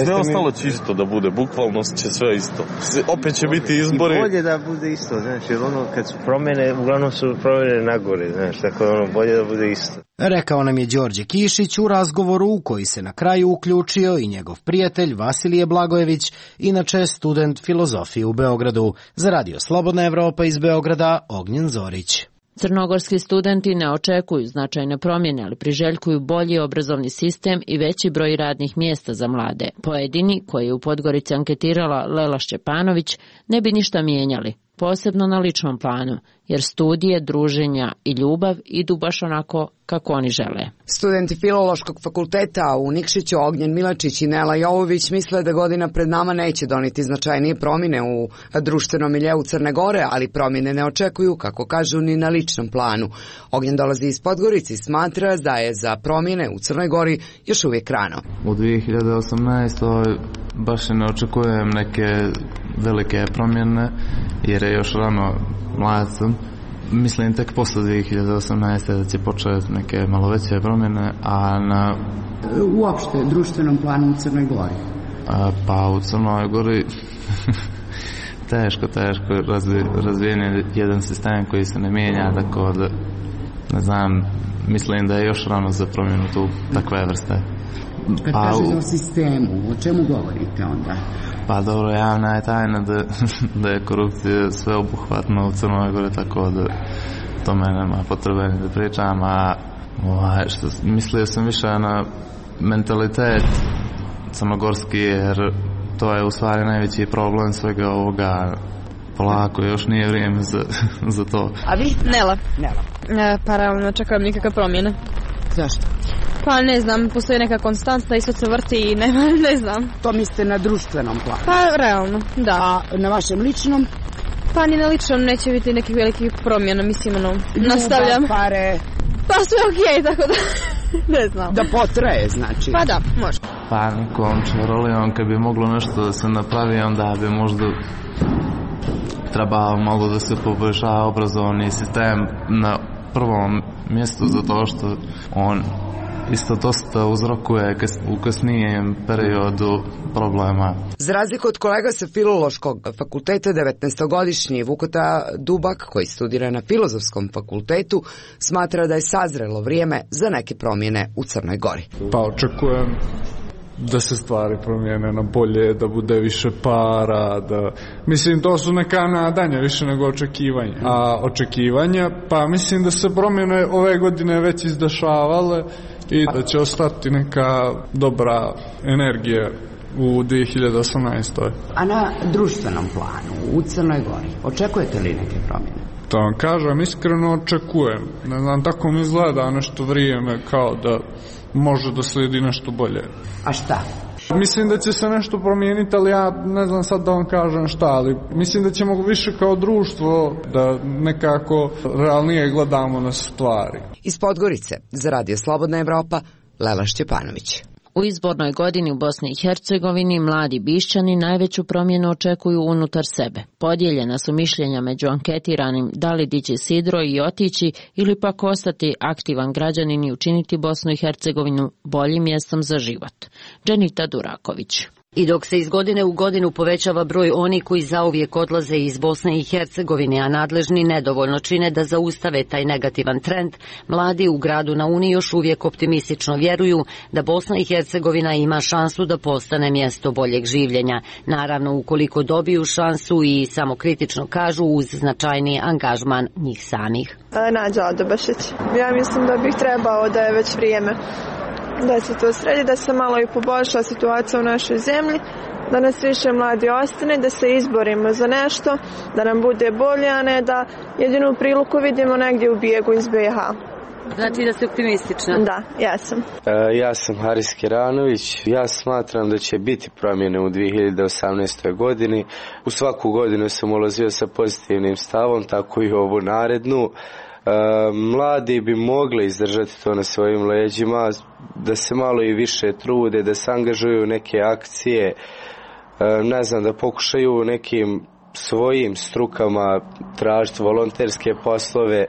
Sve ostalo će isto da bude, bukvalno će sve isto. Opet će biti izbori. I bolje da bude isto, znaš, jer ono kad su promjene, uglavnom su promjene nagore, znaš, tako je ono bolje da bude isto. Rekao nam je Đorđe Kišić u razgovoru u koji se na kraju uključio i njegov prijatelj Vasilije Blagojević, inače student filozofije u Beogradu. Za Radio Slobodna Evropa iz Beograda, Ognjen Zorić. Crnogorski studenti ne očekuju značajne promjene, ali priželjkuju bolji obrazovni sistem i veći broj radnih mjesta za mlade. Pojedini, koji je u Podgorici anketirala Lela Šćepanović, ne bi ništa mijenjali, posebno na ličnom planu, jer studije, druženja i ljubav idu baš onako kako oni žele. Studenti Filološkog fakulteta u Nikšiću Ognjen Milačić i Nela Jovović misle da godina pred nama neće doneti značajnije promjene u društvenom miljeu Crne Gore, ali promjene ne očekuju, kako kažu, ni na ličnom planu. Ognjen dolazi iz Podgorice i smatra da je za promjene u Crnoj Gori još uvijek rano. U dve hiljade osamnaestoj. baš ne očekujem neke velike promjene jer je još rano, mlad sam. Mislim tek posle dve hiljade osamnaeste. da će početi neke malo veće promjene, a na... Uopšte, društvenom planu u Crnoj Gori? A, pa u Crnoj Gori teško, teško razvi, razvijen jedan sistem koji se ne mijenja, tako da, ne znam, mislim da je još rano za promjenu tu takve vrste. Kad pa, kažete o sistemu, o čemu govorite onda? Pa dobro, javna je tajna da, da je korupcija sveobuhvatna u Crnoj Gori, tako da to me nema potrebe da pričam, a ovaj, što, mislio sam više na mentalitet crnogorski, jer to je u stvari najveći problem svega ovoga. Polako, još nije vrijeme za, za to. A vi? Nela. Nela. E, pa realno, čekam nikakve promjene. Zašto? Pa ne znam, postoji neka konstanta i sve se vrti i ne, ne znam. To mislite na društvenom planu? Pa realno, da. A na vašem ličnom? Pa ni na ličnom neće biti nekih velikih promjena, mislim, ono, nastavljam. Ljubav, pare? Pa sve okej, okay, tako da, ne znam. Da potraje, znači? Pa da, može. Pa nikom čaroli, on kad bi moglo nešto da se napravi, onda bi možda treba malo da se poboljša obrazovni sistem na prvom mjestu, zato što on isto dosta uzrokuje u kasnijem periodu problema. Za razliku od kolega sa Filološkog fakulteta, devetnaestogodišnji Vukota Dubak, koji studira na Filozofskom fakultetu, smatra da je sazrelo vrijeme za neke promjene u Crnoj Gori. Pa očekujem da se stvari promijene na bolje, da bude više para, da... Mislim, to su neka nadanja više nego očekivanja. A očekivanja, pa mislim da se promjene ove godine već izdešavale i da će ostati neka dobra energija u dvije hiljade osamnaestoj. A na društvenom planu, u Crnoj Gori, očekujete li neke promjene? To vam kažem, iskreno očekujem. Ne znam, tako mi izgleda nešto vrijeme kao da može da slijedi nešto bolje. A šta? Mislim da će se nešto promijeniti, ali ja ne znam sad da vam kažem šta, ali mislim da ćemo više kao društvo da nekako realnije gledamo na stvari. Iz Podgorice, za Radio Slobodna Evropa, Lela Šćepanović. U izbornoj godini u Bosni i Hercegovini mladi Bišćani najveću promjenu očekuju unutar sebe. Podijeljena su mišljenja među anketiranim da li dići sidro i otići ili pak ostati aktivan građanin i učiniti Bosnu i Hercegovinu boljim mjestom za život. Dženita Duraković. I dok se iz godine u godinu povećava broj onih koji zauvijek odlaze iz Bosne i Hercegovine, a nadležni nedovoljno čine da zaustave taj negativan trend, mladi u gradu na Uni još uvijek optimistično vjeruju da Bosna i Hercegovina ima šansu da postane mjesto boljeg življenja. Naravno, ukoliko dobiju šansu i samokritično kažu uz značajni angažman njih samih. Nađa Adobašić. Ja mislim da bih trebao da je već vrijeme da se to sredi, da se malo i poboljša situacija u našoj zemlji, da nas više mladi ostane, da se izborimo za nešto, da nam bude bolje, a ne da jedinu priliku vidimo negdje u bijegu iz B iH. Znači da ste optimistična? Da, ja sam. E, ja sam Haris Kiranović. Ja smatram da će biti promjene u dvije hiljade osamnaestoj godini. U svaku godinu sam ulazio sa pozitivnim stavom, tako i ovu narednu. E, mladi bi mogli izdržati to na svojim leđima, da se malo i više trude, da se angažuju u neke akcije, e, ne znam, da pokušaju nekim svojim strukama tražiti volonterske poslove,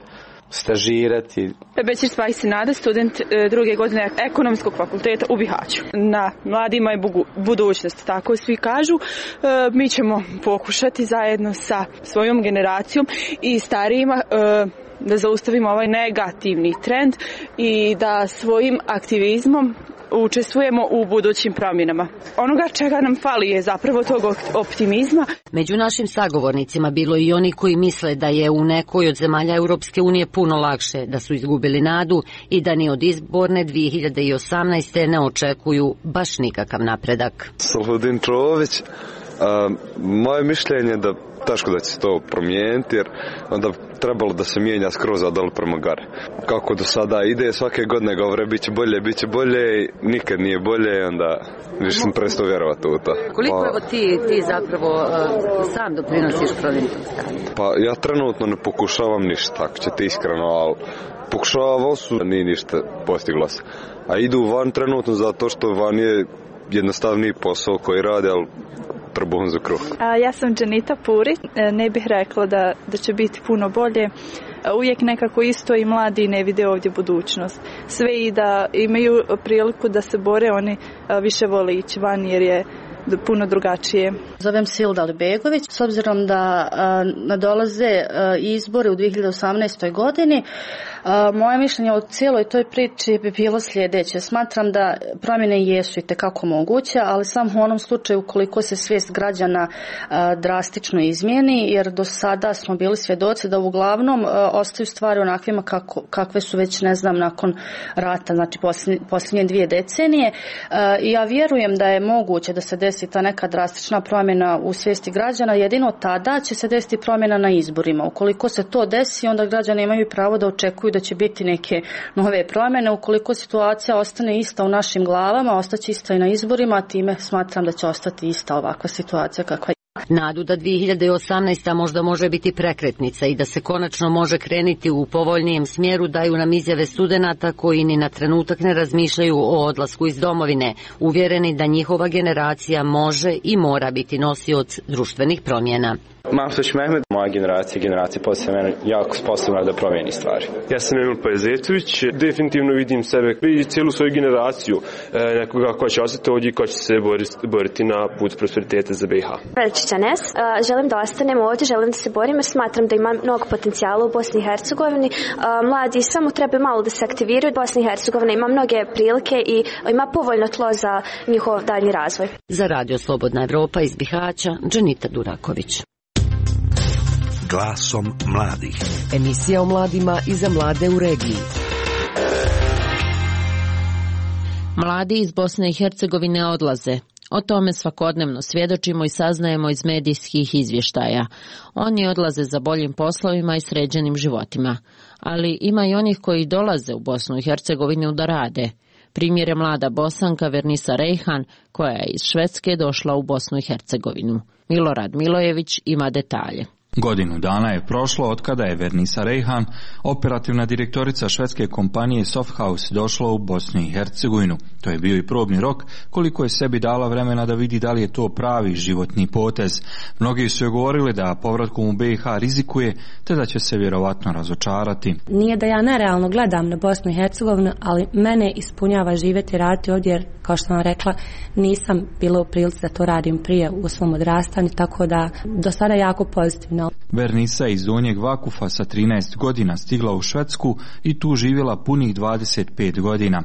stažirati. Bećir Spajsinada, student druge godine ekonomskog fakulteta u Bihaću. Na mladima je budućnost, tako svi kažu. E, mi ćemo pokušati zajedno sa svojom generacijom i starijima e, da zaustavimo ovaj negativni trend i da svojim aktivizmom učestvujemo u budućim promjenama. Onoga čega nam fali je zapravo tog optimizma. Među našim sagovornicima bilo i oni koji misle da je u nekoj od zemalja Europske unije puno lakše, da su izgubili nadu i da ni od izborne dvije hiljade osamnaeste ne očekuju baš nikakav napredak. Saludin Čović, a, moje mišljenje da teško da će se to promijeniti, jer onda trebalo da se mijenja skroz odal prema gore. Kako do sada ide, svake godine govore bit će bolje, bit će bolje, nikad nije bolje, onda više sam prestao vjerovati u to. Koliko pa, evo ti, ti zapravo uh, sam doprinosiš promjeni tog stanja? Pa ja trenutno ne pokušavam ništa, ako ćete iskreno, ali pokušavao su, nije ništa postiglo se. A idu van trenutno zato što van je jednostavniji posao koji rade, ali trbuhom za kruh. Ja sam Dženita Puri, ne bih rekla da, da će biti puno bolje. Uvijek nekako isto i mladi ne vide ovdje budućnost. Sve i da imaju priliku da se bore, oni više vole ići van jer je puno drugačije. Zovem se Hilda Alibegović. S obzirom da nadolaze izbore u dvije hiljade osamnaestoj godini, moje mišljenje o cijeloj toj priči bi bilo sljedeće. Smatram da promjene jesu itekako moguće, ali samo u onom slučaju koliko se svijest građana drastično izmijeni, jer do sada smo bili svjedoci da uglavnom ostaju stvari onakvima kako, kakve su već, ne znam, nakon rata, znači posljednje, posljednje dvije decenije. I ja vjerujem da je moguće da se desi ta neka drastična promjena u svijesti građana, jedino tada će se desiti promjena na izborima. Ukoliko se to desi, onda građani imaju pravo da očekuju da će biti neke nove promjene. Ukoliko situacija ostane ista u našim glavama, ostaće ista i na izborima, a time smatram da će ostati ista ovakva situacija kakva je. Nadu da dvije hiljade osamnaesta. možda može biti prekretnica i da se konačno može krenuti u povoljnijem smjeru daju nam izjave studenata koji ni na trenutak ne razmišljaju o odlasku iz domovine, uvjereni da njihova generacija može i mora biti nosioc društvenih promjena. Mahsuć Mehmed, moja generacija, generacija poslije mene jako sposobna da promijeni stvari. Ja sam Emil Pajzetović, definitivno vidim sebe i cijelu svoju generaciju nekoga ko će ostati ovdje i ko će se boriti na put prosperiteta za B i H. Veličića Nes, želim da ostanem ovdje, želim da se borim jer smatram da ima mnogo potencijala u Bosni i Hercegovini. Mladi samo treba malo da se aktiviraju. Bosna i Hercegovina ima mnoge prilike i ima povoljno tlo za njihov daljnji razvoj. Za Radio Slobodna Evropa iz Bihaća, Dženita Duraković. Glasom mladih. Emisija o mladima i za mlade u regiji. Mladi iz Bosne i Hercegovine odlaze. O tome svakodnevno svjedočimo i saznajemo iz medijskih izvještaja. Oni odlaze za boljim poslovima i sređenim životima. Ali ima i onih koji dolaze u Bosnu i Hercegovinu da rade. Primjer je mlada Bosanka Vernisa Rejhan, koja je iz Švedske došla u Bosnu i Hercegovinu. Milorad Milojević ima detalje. Godinu dana je prošlo od kada je Vernisa Rejhan, operativna direktorica švedske kompanije Softhouse, došla u Bosnu i Hercegovinu. To je bio i probni rok koliko je sebi dala vremena da vidi da li je to pravi životni potez. Mnogi su joj govorili da povratkom u B i H rizikuje, te da će se vjerovatno razočarati. Nije da ja nerealno gledam na Bosnu i Hercegovinu, ali mene ispunjava živjeti i raditi ovdje, jer kao što sam rekla, nisam bila u prilici da to radim prije u svom odrastanju, tako da do sada jako pozitivno. Vernisa je iz Donjeg Vakufa sa trinaest godina stigla u Švedsku i tu živjela punih dvadeset pet godina.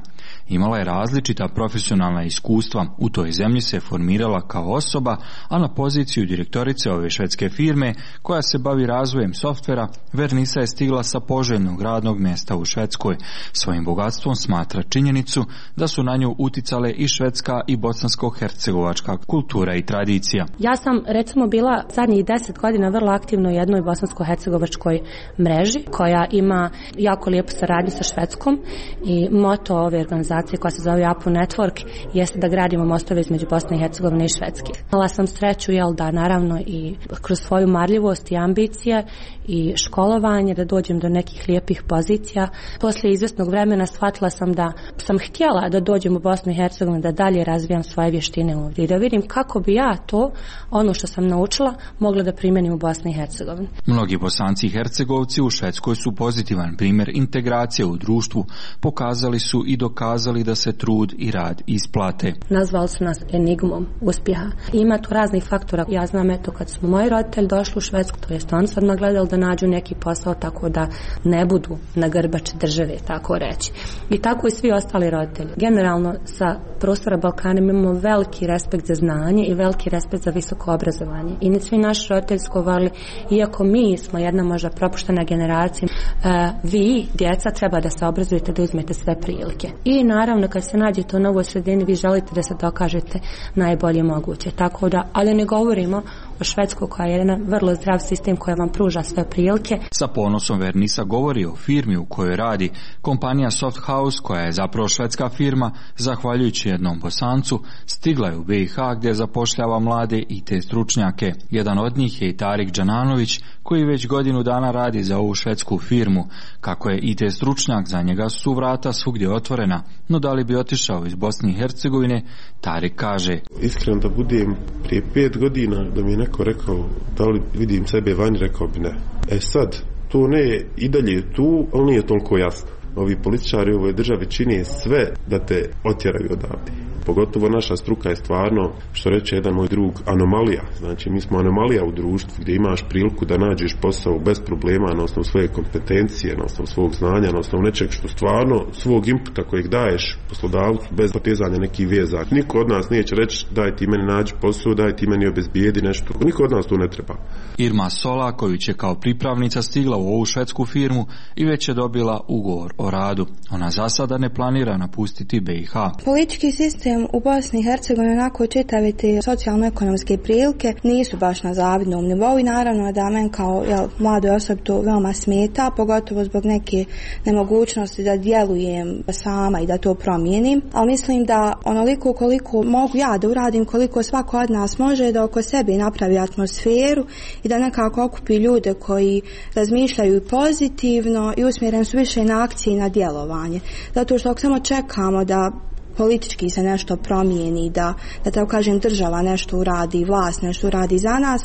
Imala je različita profesionalna iskustva. U toj zemlji se formirala kao osoba, a na poziciju direktorice ove švedske firme koja se bavi razvojem softvera, Vernisa je stigla sa poželjnog radnog mjesta u Švedskoj. Svojim bogatstvom smatra činjenicu da su na nju uticale i švedska i bosansko-hercegovačka kultura i tradicija. Ja sam recimo bila zadnjih deset godina vrlo aktivno u jednoj bosansko-hercegovačkoj mreži koja ima jako lijepu saradnju sa Švedskom i moto ove organizacije koja se zove Apu Network jeste da gradimo mostove između Bosne i Hercegovine i Švedske. Imala sam sreću, jel da, naravno i kroz svoju marljivost i ambicije i školovanje da dođem do nekih lijepih pozicija. Poslije izvjesnog vremena shvatila sam da sam htjela da dođem u Bosnu i Hercegovinu, da dalje razvijam svoje vještine ovdje i da vidim kako bi ja to, ono što sam naučila, mogla da primjenim u Bosni i Hercegovini. Mnogi Bosanci i Hercegovci u Švedskoj su pozitivan primjer integracije u društvu. Pokazali su i dokazali da se trud i rad isplate. Nazvali su nas enigmom uspjeha. Ima tu raznih faktora. Ja znam, eto, kad smo moji roditelji došli u Švedsku, to jest oni su odmah gledali da nađu neki posao tako da ne budu na grbači države, tako reći. I tako i svi ostali roditelji. Generalno sa prostora Balkana imamo veliki respekt za znanje i veliki respekt za visoko obrazovanje. I svi naši roditelji su govorili, iako mi smo jedna možda propuštena generacija, uh, vi, djeca, treba da se obrazujete, da uzmete sve prilike. I naravno kad se nađete u novoj sredini, vi želite da se dokažete najbolje moguće. Tako da, ali ne govorimo o Švedskoj koja je jedan vrlo zdrav sistem koja vam pruža sve prilike. Sa ponosom Vernisa govori o firmi u kojoj radi. Kompanija Softhouse, koja je zapravo švedska firma, zahvaljujući jednom Bosancu, stigla je u B i H gdje zapošljava mlade I T stručnjake. Jedan od njih je i Tarik Đananović, koji već godinu dana radi za ovu švedsku firmu. Kako je I T stručnjak, za njega su vrata svugdje otvorena, no da li bi otišao iz Bosne i Hercegovine, Tarik kaže: Iskreno da budem, prije pet godina da mi je neko rekao da li vidim sebe vani, rekao bi ne. E sad, to ne je i dalje tu, ali nije toliko jasno. Ovi političari u ovoj državi čine sve da te otjeraju odavde. Pogotovo naša struka je stvarno, što reče jedan moj drug, anomalija. Znači mi smo anomalija u društvu gdje imaš priliku da nađeš posao bez problema na osnovu svoje kompetencije, na osnovu svog znanja, na osnovu nečeg što stvarno svog inputa kojeg daješ poslodavcu bez potezanja nekih veza. Niko od nas neće reći daj ti meni nađi posao, daj ti meni obezbijedi nešto. Niko od nas to ne treba. Irma Solaković je kao pripravnica stigla u ovu švedsku firmu i već je dobila ugovor o radu. Ona za sada ne planira napustiti B i H. Politički sistem u Bosni i Hercegovini, onako čitave te socijalno-ekonomske prilike, nisu baš na zavidnom nivou i naravno da men kao jel, mladoj osobi to veoma smeta, pogotovo zbog neke nemogućnosti da djelujem sama i da to promijenim, ali mislim da onoliko koliko mogu ja da uradim, koliko svako od nas može, da oko sebe napravi atmosferu i da nekako okupi ljude koji razmišljaju pozitivno i usmjereni su više na akcije i na djelovanje. Zato što ako samo čekamo da politički se nešto promijeni, da, da tako kažem država nešto uradi, vlast nešto uradi za nas,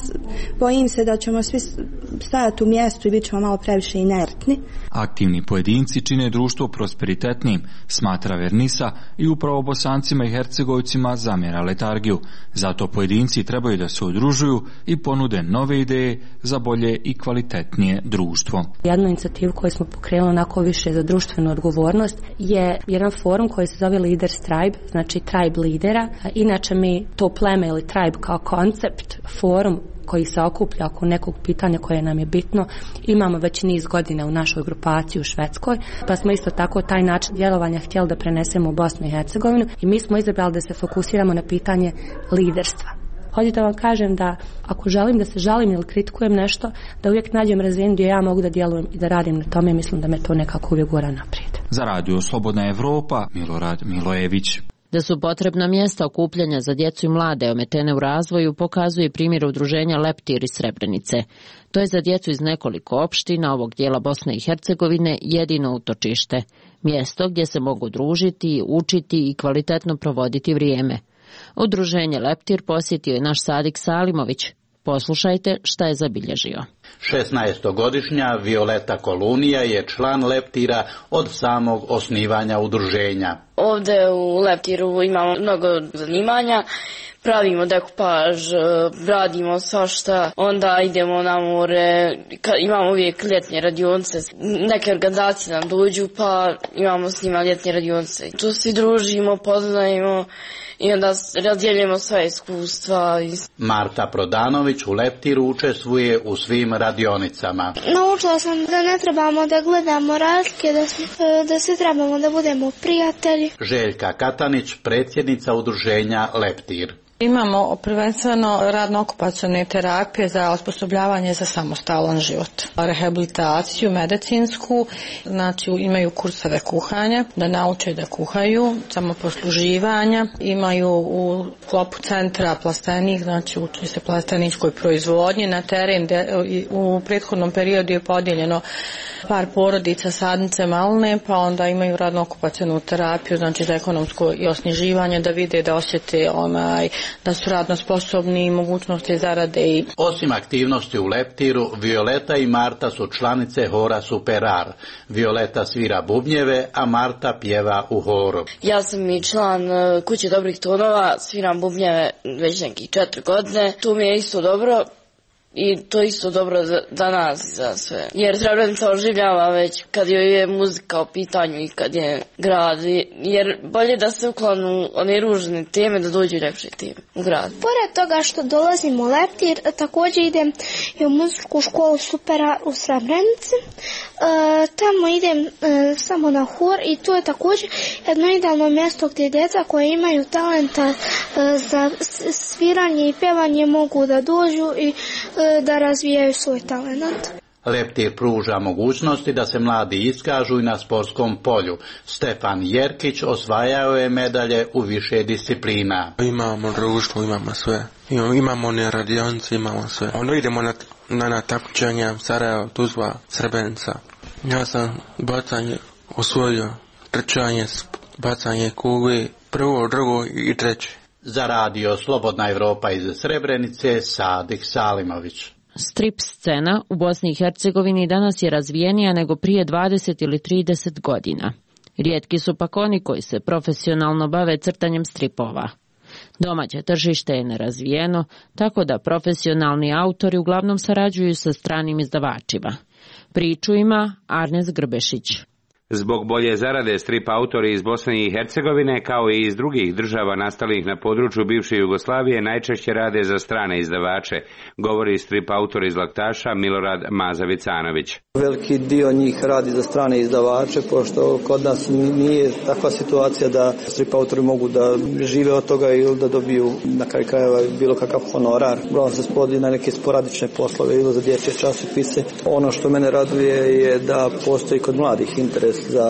bojim se da ćemo svi stajati u mjestu i bit ćemo malo previše inertni. Aktivni pojedinci čine društvo prosperitetnim, smatra Vernisa, i upravo Bosancima i Hercegovcima zamjera letargiju. Zato pojedinci trebaju da se udružuju i ponude nove ideje za bolje i kvalitetnije društvo. Jednu inicijativu koju smo pokrenuli onako više za društvenu odgovornost je jedan forum koji se zove Leaders Tribe, znači tribe lidera. Inače mi to pleme ili tribe kao koncept, forum koji se okuplja oko nekog pitanja koje nam je bitno, imamo već niz godina u našoj grupaciji u Švedskoj, pa smo isto tako taj način djelovanja htjeli da prenesemo u Bosnu i Hercegovinu i mi smo izabrali da se fokusiramo na pitanje liderstva. Hoću da vam kažem da ako želim da se žalim ili kritikujem nešto, da uvijek nađem razinu gdje ja mogu da djelujem i da radim na tome, mislim da me to nekako uvijek gura naprijed. Za radio Slobodna Evropa, Milorad Milojević. Da su potrebna mjesta okupljanja za djecu i mlade ometene u razvoju pokazuje primjer udruženja Leptir iz Srebrenice. To je za djecu iz nekoliko opština ovog dijela Bosne i Hercegovine jedino utočište. Mjesto gdje se mogu družiti, učiti i kvalitetno provoditi vrijeme. Udruženje Leptir posjetio je naš Sadik Salimović. Poslušajte šta je zabilježio. šesnaestogodišnja Violeta Kolunija je član Leptira od samog osnivanja udruženja. Ovdje u Leptiru imamo mnogo zanimanja. Pravimo dekupaž, radimo svašta, onda idemo na more, imamo uvijek ljetne radionice, neke organizacije nam dođu pa imamo s njima ljetne radionice. Tu svi družimo, poznajemo i onda razdjeljujemo sva iskustva. Marta Prodanović u Leptiru učestvuje u svim radionicama. Naučila sam da ne trebamo da gledamo razlike, da, da svi trebamo da budemo prijatelji. Željka Katanić, predsjednica udruženja Leptir. Imamo prvenstveno radno-okupacione terapije za osposobljavanje za samostalan život. Rehabilitaciju medicinsku, znači imaju kurseve kuhanja, da nauče da kuhaju, samoposluživanja. Imaju u sklopu centra plastenik, znači uči se plasteničkoj proizvodnji. Na teren u prethodnom periodu je podijeljeno par porodica sadnice malne, pa onda imaju radno-okupacionu terapiju, znači za ekonomsko i osnježivanje, da vide, da osjete onaj da su radno sposobni i mogućnosti zarade. Osim aktivnosti u Leptiru, Violeta i Marta su članice hora Superar. Violeta svira bubnjeve, a Marta pjeva u horu. Ja sam i član Kuće dobrih tonova, sviram bubnjeve već nekih četiri godine. Tu mi je isto dobro. I to isto dobro za, za nas i za sve. Jer Srebrenica oživljava već kad je muzika u pitanju i kad je grad. Jer bolje da se uklonu one ružne teme da dođu ljepše teme u grad. Pored toga što dolazim u Leptir, također idem i u muzičku školu Supera u Srebrenici. E, tamo idem e, samo na hor i to je također jedno idealno mjesto gdje djeca koje imaju talenta e, za sviranje i pjevanje mogu da dođu i e, da razvijaju svoj talent. Leptir pruža mogućnosti da se mladi iskažu i na sportskom polju. Stefan Jerkić osvajao je medalje u više disciplina. Imamo društvo, imamo sve. Imamo one radionice, imamo sve. Onda idemo na, na, na takmičenja Sarajevo, Tuzla, Srebrenica. Ja sam bacanje osvojio, trčanje, bacanje kugle, prvo, drugo i treće. Za radio Slobodna Evropa iz Srebrenice, Sadik Salimović. Strip scena u Bosni i Hercegovini danas je razvijenija nego prije dvadeset ili trideset godina. Rijetki su pak oni koji se profesionalno bave crtanjem stripova. Domaće tržište je nerazvijeno, tako da profesionalni autori uglavnom sarađuju sa stranim izdavačima. Priču ima Arnes Grbešić. Zbog bolje zarade strip autori iz Bosne i Hercegovine kao i iz drugih država nastalih na području bivše Jugoslavije najčešće rade za strane izdavače, govori strip autor iz Laktaša Milorad Maza-Vicanović. Veliki dio njih radi za strane izdavače, pošto kod nas nije takva situacija da strip autori mogu da žive od toga ili da dobiju na kraju krajeva bilo kakav honorar. Uglavnom se spodi na neke sporadične poslove ili za dječje časopise. Ono što mene raduje je da postoji kod mladih interes za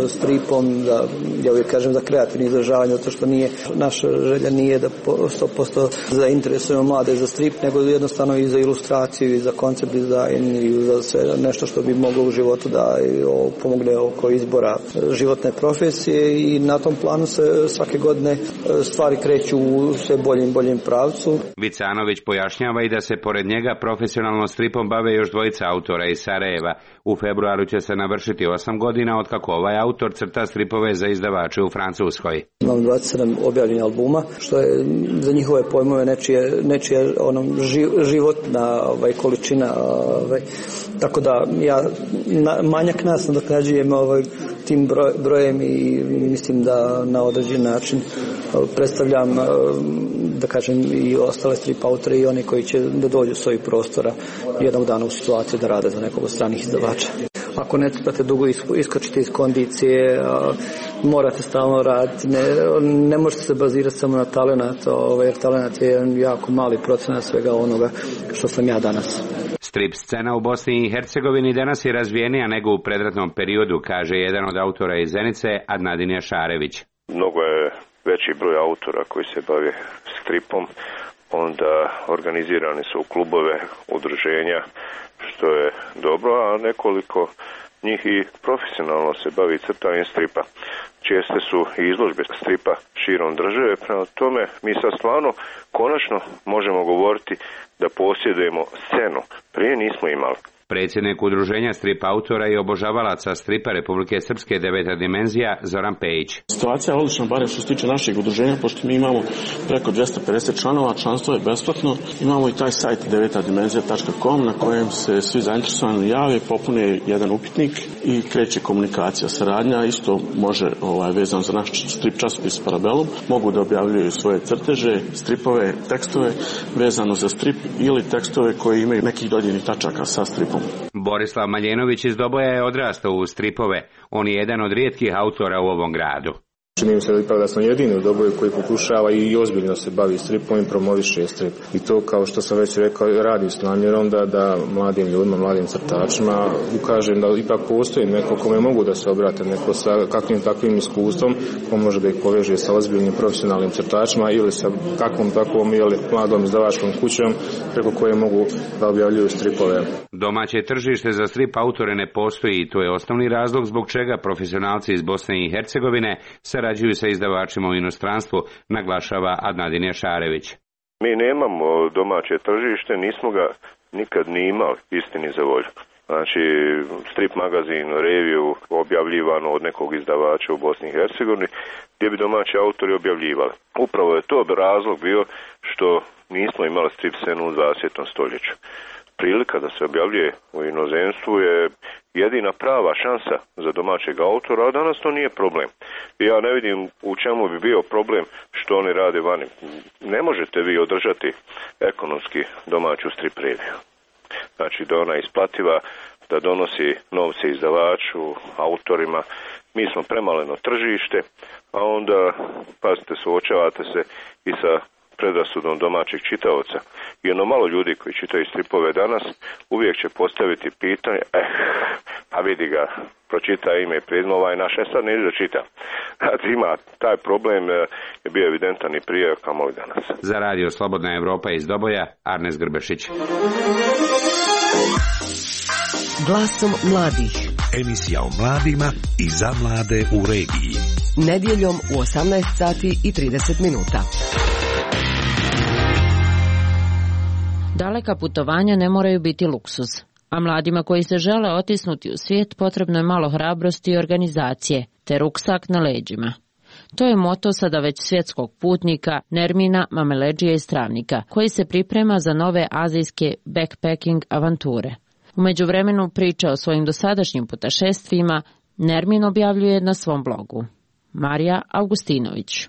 stripom, da, ja uvijek kažem za kreativno izražavanje, zato što nije, naša želja nije da sto posto zainteresujemo mlade za strip, nego jednostavno i za ilustraciju i za koncept dizajn i za sve nešto što bi moglo u životu da pomogne oko izbora životne profesije i na tom planu se svake godine stvari kreću u sve boljem boljem pravcu. Vicanović pojašnjava i da se pored njega profesionalno stripom bave još dvojica autora iz Sarajeva. U februaru će se navršiti osam godina od kako ovaj autor crta stripove za izdavače u Francuskoj. Imam dvadeset sedam objavljenih albuma, što je za njihove pojmove nečije, nečije ono, životna ovaj, količina. Ovaj, tako da ja na, manjak nas nadoknađujem ovaj, tim broj, brojem i mislim da na određen način predstavljam, da kažem, i ostale strip autore i one koji će da dođu s ovih prostora jednog dana u situaciju da rade za nekog od stranih izdavača. Ako ne trebate dugo iskočiti iz kondicije, morate stalno raditi, ne, ne možete se bazirati samo na talenat, jer talenat je jedan jako mali procenat svega onoga što sam ja danas. Strip scena u Bosni i Hercegovini danas je razvijenija nego u predratnom periodu, kaže jedan od autora iz Zenice, Adnadin Jašarević. Mnogo je veći broj autora koji se bave stripom, onda organizirani su u klubove, udruženja, što je dobro, a nekoliko njih i profesionalno se bavi crtanjem stripa. Česte su i izložbe stripa širom države, prema tome mi sad stvarno konačno možemo govoriti da posjedujemo scenu. Prije nismo imali. Predsjednik udruženja strip autora i obožavalaca stripa Republike Srpske Deveta dimenzija Zoran Pejić. Situacija je odlična, barem što se tiče našeg udruženja, pošto mi imamo preko dvjesto pedeset članova, članstvo je besplatno. Imamo i taj sajt deveta dimenzija tačka com na kojem se svi zainteresovani jave, popune jedan upitnik i kreće komunikacija, saradnja. Isto može ovaj, vezano za naš strip časopis Parabellum, mogu da objavljuju svoje crteže, stripove, tekstove vezano za strip ili tekstove koji imaju nekih dodirnih tačaka sa stripom. Borislav Maljenović iz Doboja je odrastao u stripove. On je jedan od rijetkih autora u ovom gradu. Čini mi se da ipak da sam jedini u Doboju koji pokušava i ozbiljno se bavi stripom i promoviše strip. I to, kao što sam već rekao, radi s namjerom da, da mladim ljudima, mladim crtačima ukažem da ipak postoji neko kome mogu da se obrate, neko sa kakvim takvim iskustvom, ko može da ih poveže sa ozbiljnim profesionalnim crtačima ili sa kakvom takvom ili mladom izdavačkom kućom preko koje mogu da objavljuju stripove. Domaće tržište za strip autore ne postoji i to je osnovni razlog zbog čega profesionalci iz Bosne i Hercegovine sarađuju sa izdavačima u inostranstvu, naglašava Adnadin Jašarević. Mi nemamo domaće tržište, nismo ga nikad ni imali, istini za volju. Znači, strip magazin, reviju objavljivano od nekog izdavača u Bosni i Hercegovini, gdje bi domaći autori objavljivali. Upravo je to razlog bio što nismo imali strip scenu u dvadesetom stoljeću. Prilika da se objavljuje u inozemstvu je jedina prava šansa za domaćeg autora, a danas to nije problem. Ja ne vidim u čemu bi bio problem što oni rade vani. Ne možete vi održati ekonomski domaću strip reviju. Znači da ona isplativa, da donosi novce izdavaču, autorima. Mi smo premaleno tržište, a onda, pazite, suočavate se i sa predrasudom domaćeg čitaoca. I ono malo ljudi koji čitaju stripove danas uvijek će postaviti pitanje, eh, a vidi ga, pročita ime i prezime, ovaj naš, e sad neće da čita. Ima taj problem, je bio evidentan i prije, kamoli danas. Za radio Slobodna Evropa iz Doboja, Arnes Grbešić. Glasom mladih. Emisija o mladima i za mlade u regiji. Nedjeljom u osamnaest sati i trideset minuta. Daleka putovanja ne moraju biti luksuz, A mladima koji se žele otisnuti u svijet potrebno je malo hrabrosti i organizacije, te ruksak na leđima. To je moto sada već svjetskog putnika Nermina Mameleđija iz Travnika, koji se priprema za nove azijske backpacking avanture. U međuvremenu priča o svojim dosadašnjim putešestvima Nermin objavljuje na svom blogu. Marija Augustinović.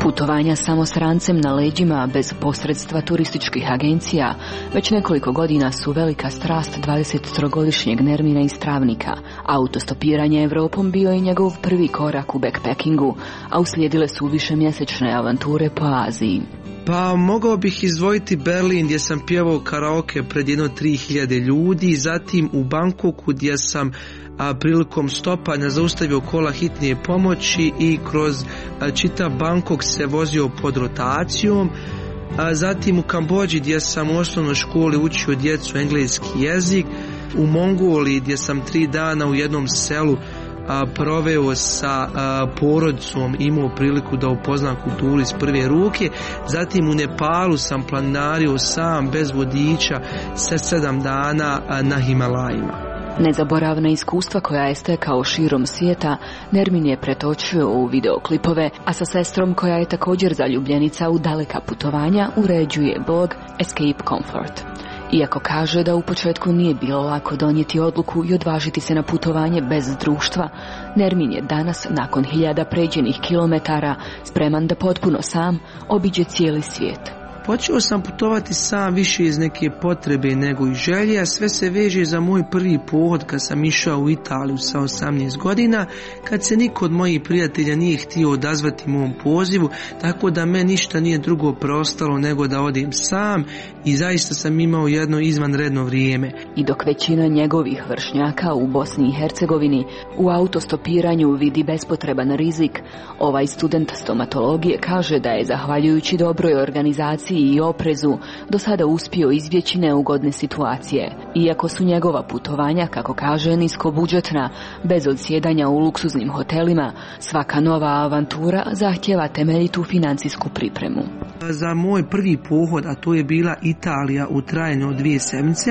Putovanja samo s rancem na leđima bez posredstva turističkih agencija već nekoliko godina su velika strast dvadesettrogodišnjeg Nermina iz Travnika. Autostopiranje Evropom bio je njegov prvi korak u backpackingu, a uslijedile su višemjesečne avanture po Aziji. Pa mogao bih izdvojiti Berlin gdje sam pjevao karaoke pred jedno tri hiljade ljudi, zatim u Bangkoku gdje sam a, prilikom stopanja zaustavio kola hitnije pomoći i kroz a, čitav Bangkok se vozio pod rotacijom, a, zatim u Kambodži gdje sam u osnovnoj školi učio djecu engleski jezik, u Mongoliji gdje sam tri dana u jednom selu A, proveo sa a, porodicom, imao priliku da upoznam kulturu iz prve ruke, zatim u Nepalu sam planinario sam bez vodiča sa sedam dana a, na Himalajima. Nezaboravna iskustva koja je stekao širom svijeta, Nermin je pretočio u videoklipove, a sa sestrom koja je također zaljubljenica u daleka putovanja uređuje blog Escape Comfort. Iako kaže da u početku nije bilo lako donijeti odluku i odvažiti se na putovanje bez društva, Nermin je danas, nakon hiljada pređenih kilometara, spreman da potpuno sam obiđe cijeli svijet. Počeo sam putovati sam više iz neke potrebe nego i želje, a sve se veže za moj prvi pohod kad sam išao u Italiju sa osamnaest godina, kad se niko od mojih prijatelja nije htio odazvati mom pozivu, tako da me ništa nije drugo preostalo nego da odem sam i zaista sam imao jedno izvanredno vrijeme. I dok većina njegovih vršnjaka u Bosni i Hercegovini u autostopiranju vidi bespotreban rizik, ovaj student stomatologije kaže da je zahvaljujući dobroj organizaciji i oprezu do sada uspio izbjeći neugodne situacije. Iako su njegova putovanja, kako kaže, niskobudžetna, bez odsjedanja u luksuznim hotelima, svaka nova avantura zahtjeva temeljitu financijsku pripremu. Za moj prvi pohod, a to je bila Italija u trajanju od dvije sedmice,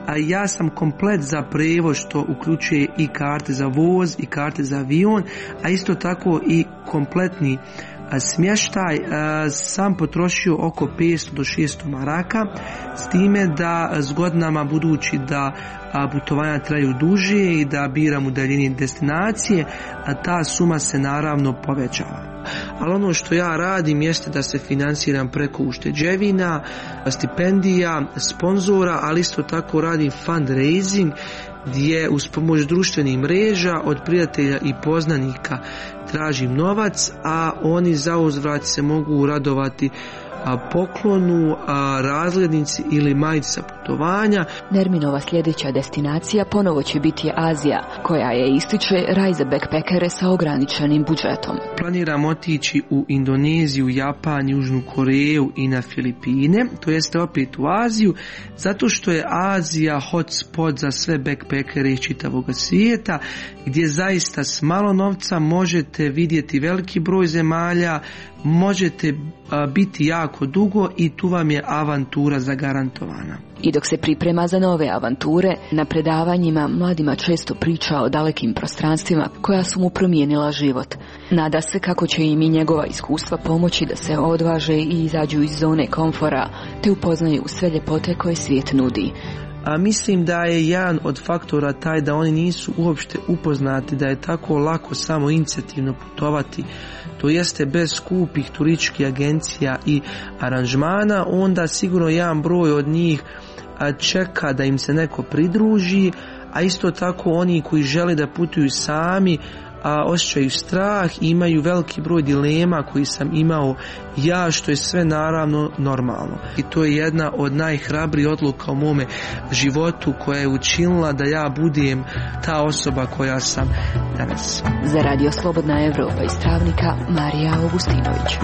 a ja sam komplet za prevoz, što uključuje i karte za voz i karte za avion, a isto tako i kompletni smještaj, sam potrošio oko petsto do šesto maraka, s time da s godinama, budući da putovanja traju duže i da biram udaljenije destinacije, a ta suma se naravno povećava. Ali ono što ja radim jeste da se financiram preko ušteđevina, stipendija, sponzora, ali isto tako radim fundraising, gdje uz pomoć društvenih mreža od prijatelja i poznanika tražim novac, a oni za uzvrat se mogu radovati a poklonu, a razglednici ili majici sa putovanja. Nerminova sljedeća destinacija ponovo će biti Azija, koja je, ističe, raj za backpackere sa ograničenim budžetom. Planiram otići u Indoneziju, Japan, Južnu Koreju i na Filipine, to jeste opet u Aziju, zato što je Azija hotspot za sve backpackere iz čitavog svijeta, gdje zaista s malo novca možete vidjeti veliki broj zemalja, možete a, biti jako dugo i tu vam je avantura zagarantovana. I dok se priprema za nove avanture, na predavanjima mladima često priča o dalekim prostranstvima koja su mu promijenila život. Nada se kako će im i njegova iskustva pomoći da se odvaže i izađu iz zone komfora, te upoznaju sve ljepote koje svijet nudi. A mislim da je jedan od faktora taj da oni nisu uopšte upoznati da je tako lako samo inicijativno putovati, to jeste bez skupih turističkih agencija i aranžmana, onda sigurno jedan broj od njih čeka da im se neko pridruži, a isto tako oni koji žele da putuju sami a osjećaju strah i imaju veliki broj dilema koji sam imao ja, što je sve naravno normalno. I to je jedna od najhrabrijih odluka u mome životu koja je učinila da ja budem ta osoba koja sam danas. Za Radio Slobodna Evropa iz Travnika, Marija Augustinović.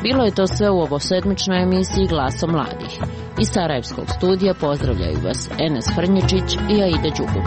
Bilo je to sve u ovosedmičnoj emisiji Glasom mladih. Iz Sarajevskog studija pozdravljaju vas Enes Frnječić i Aida Đugum.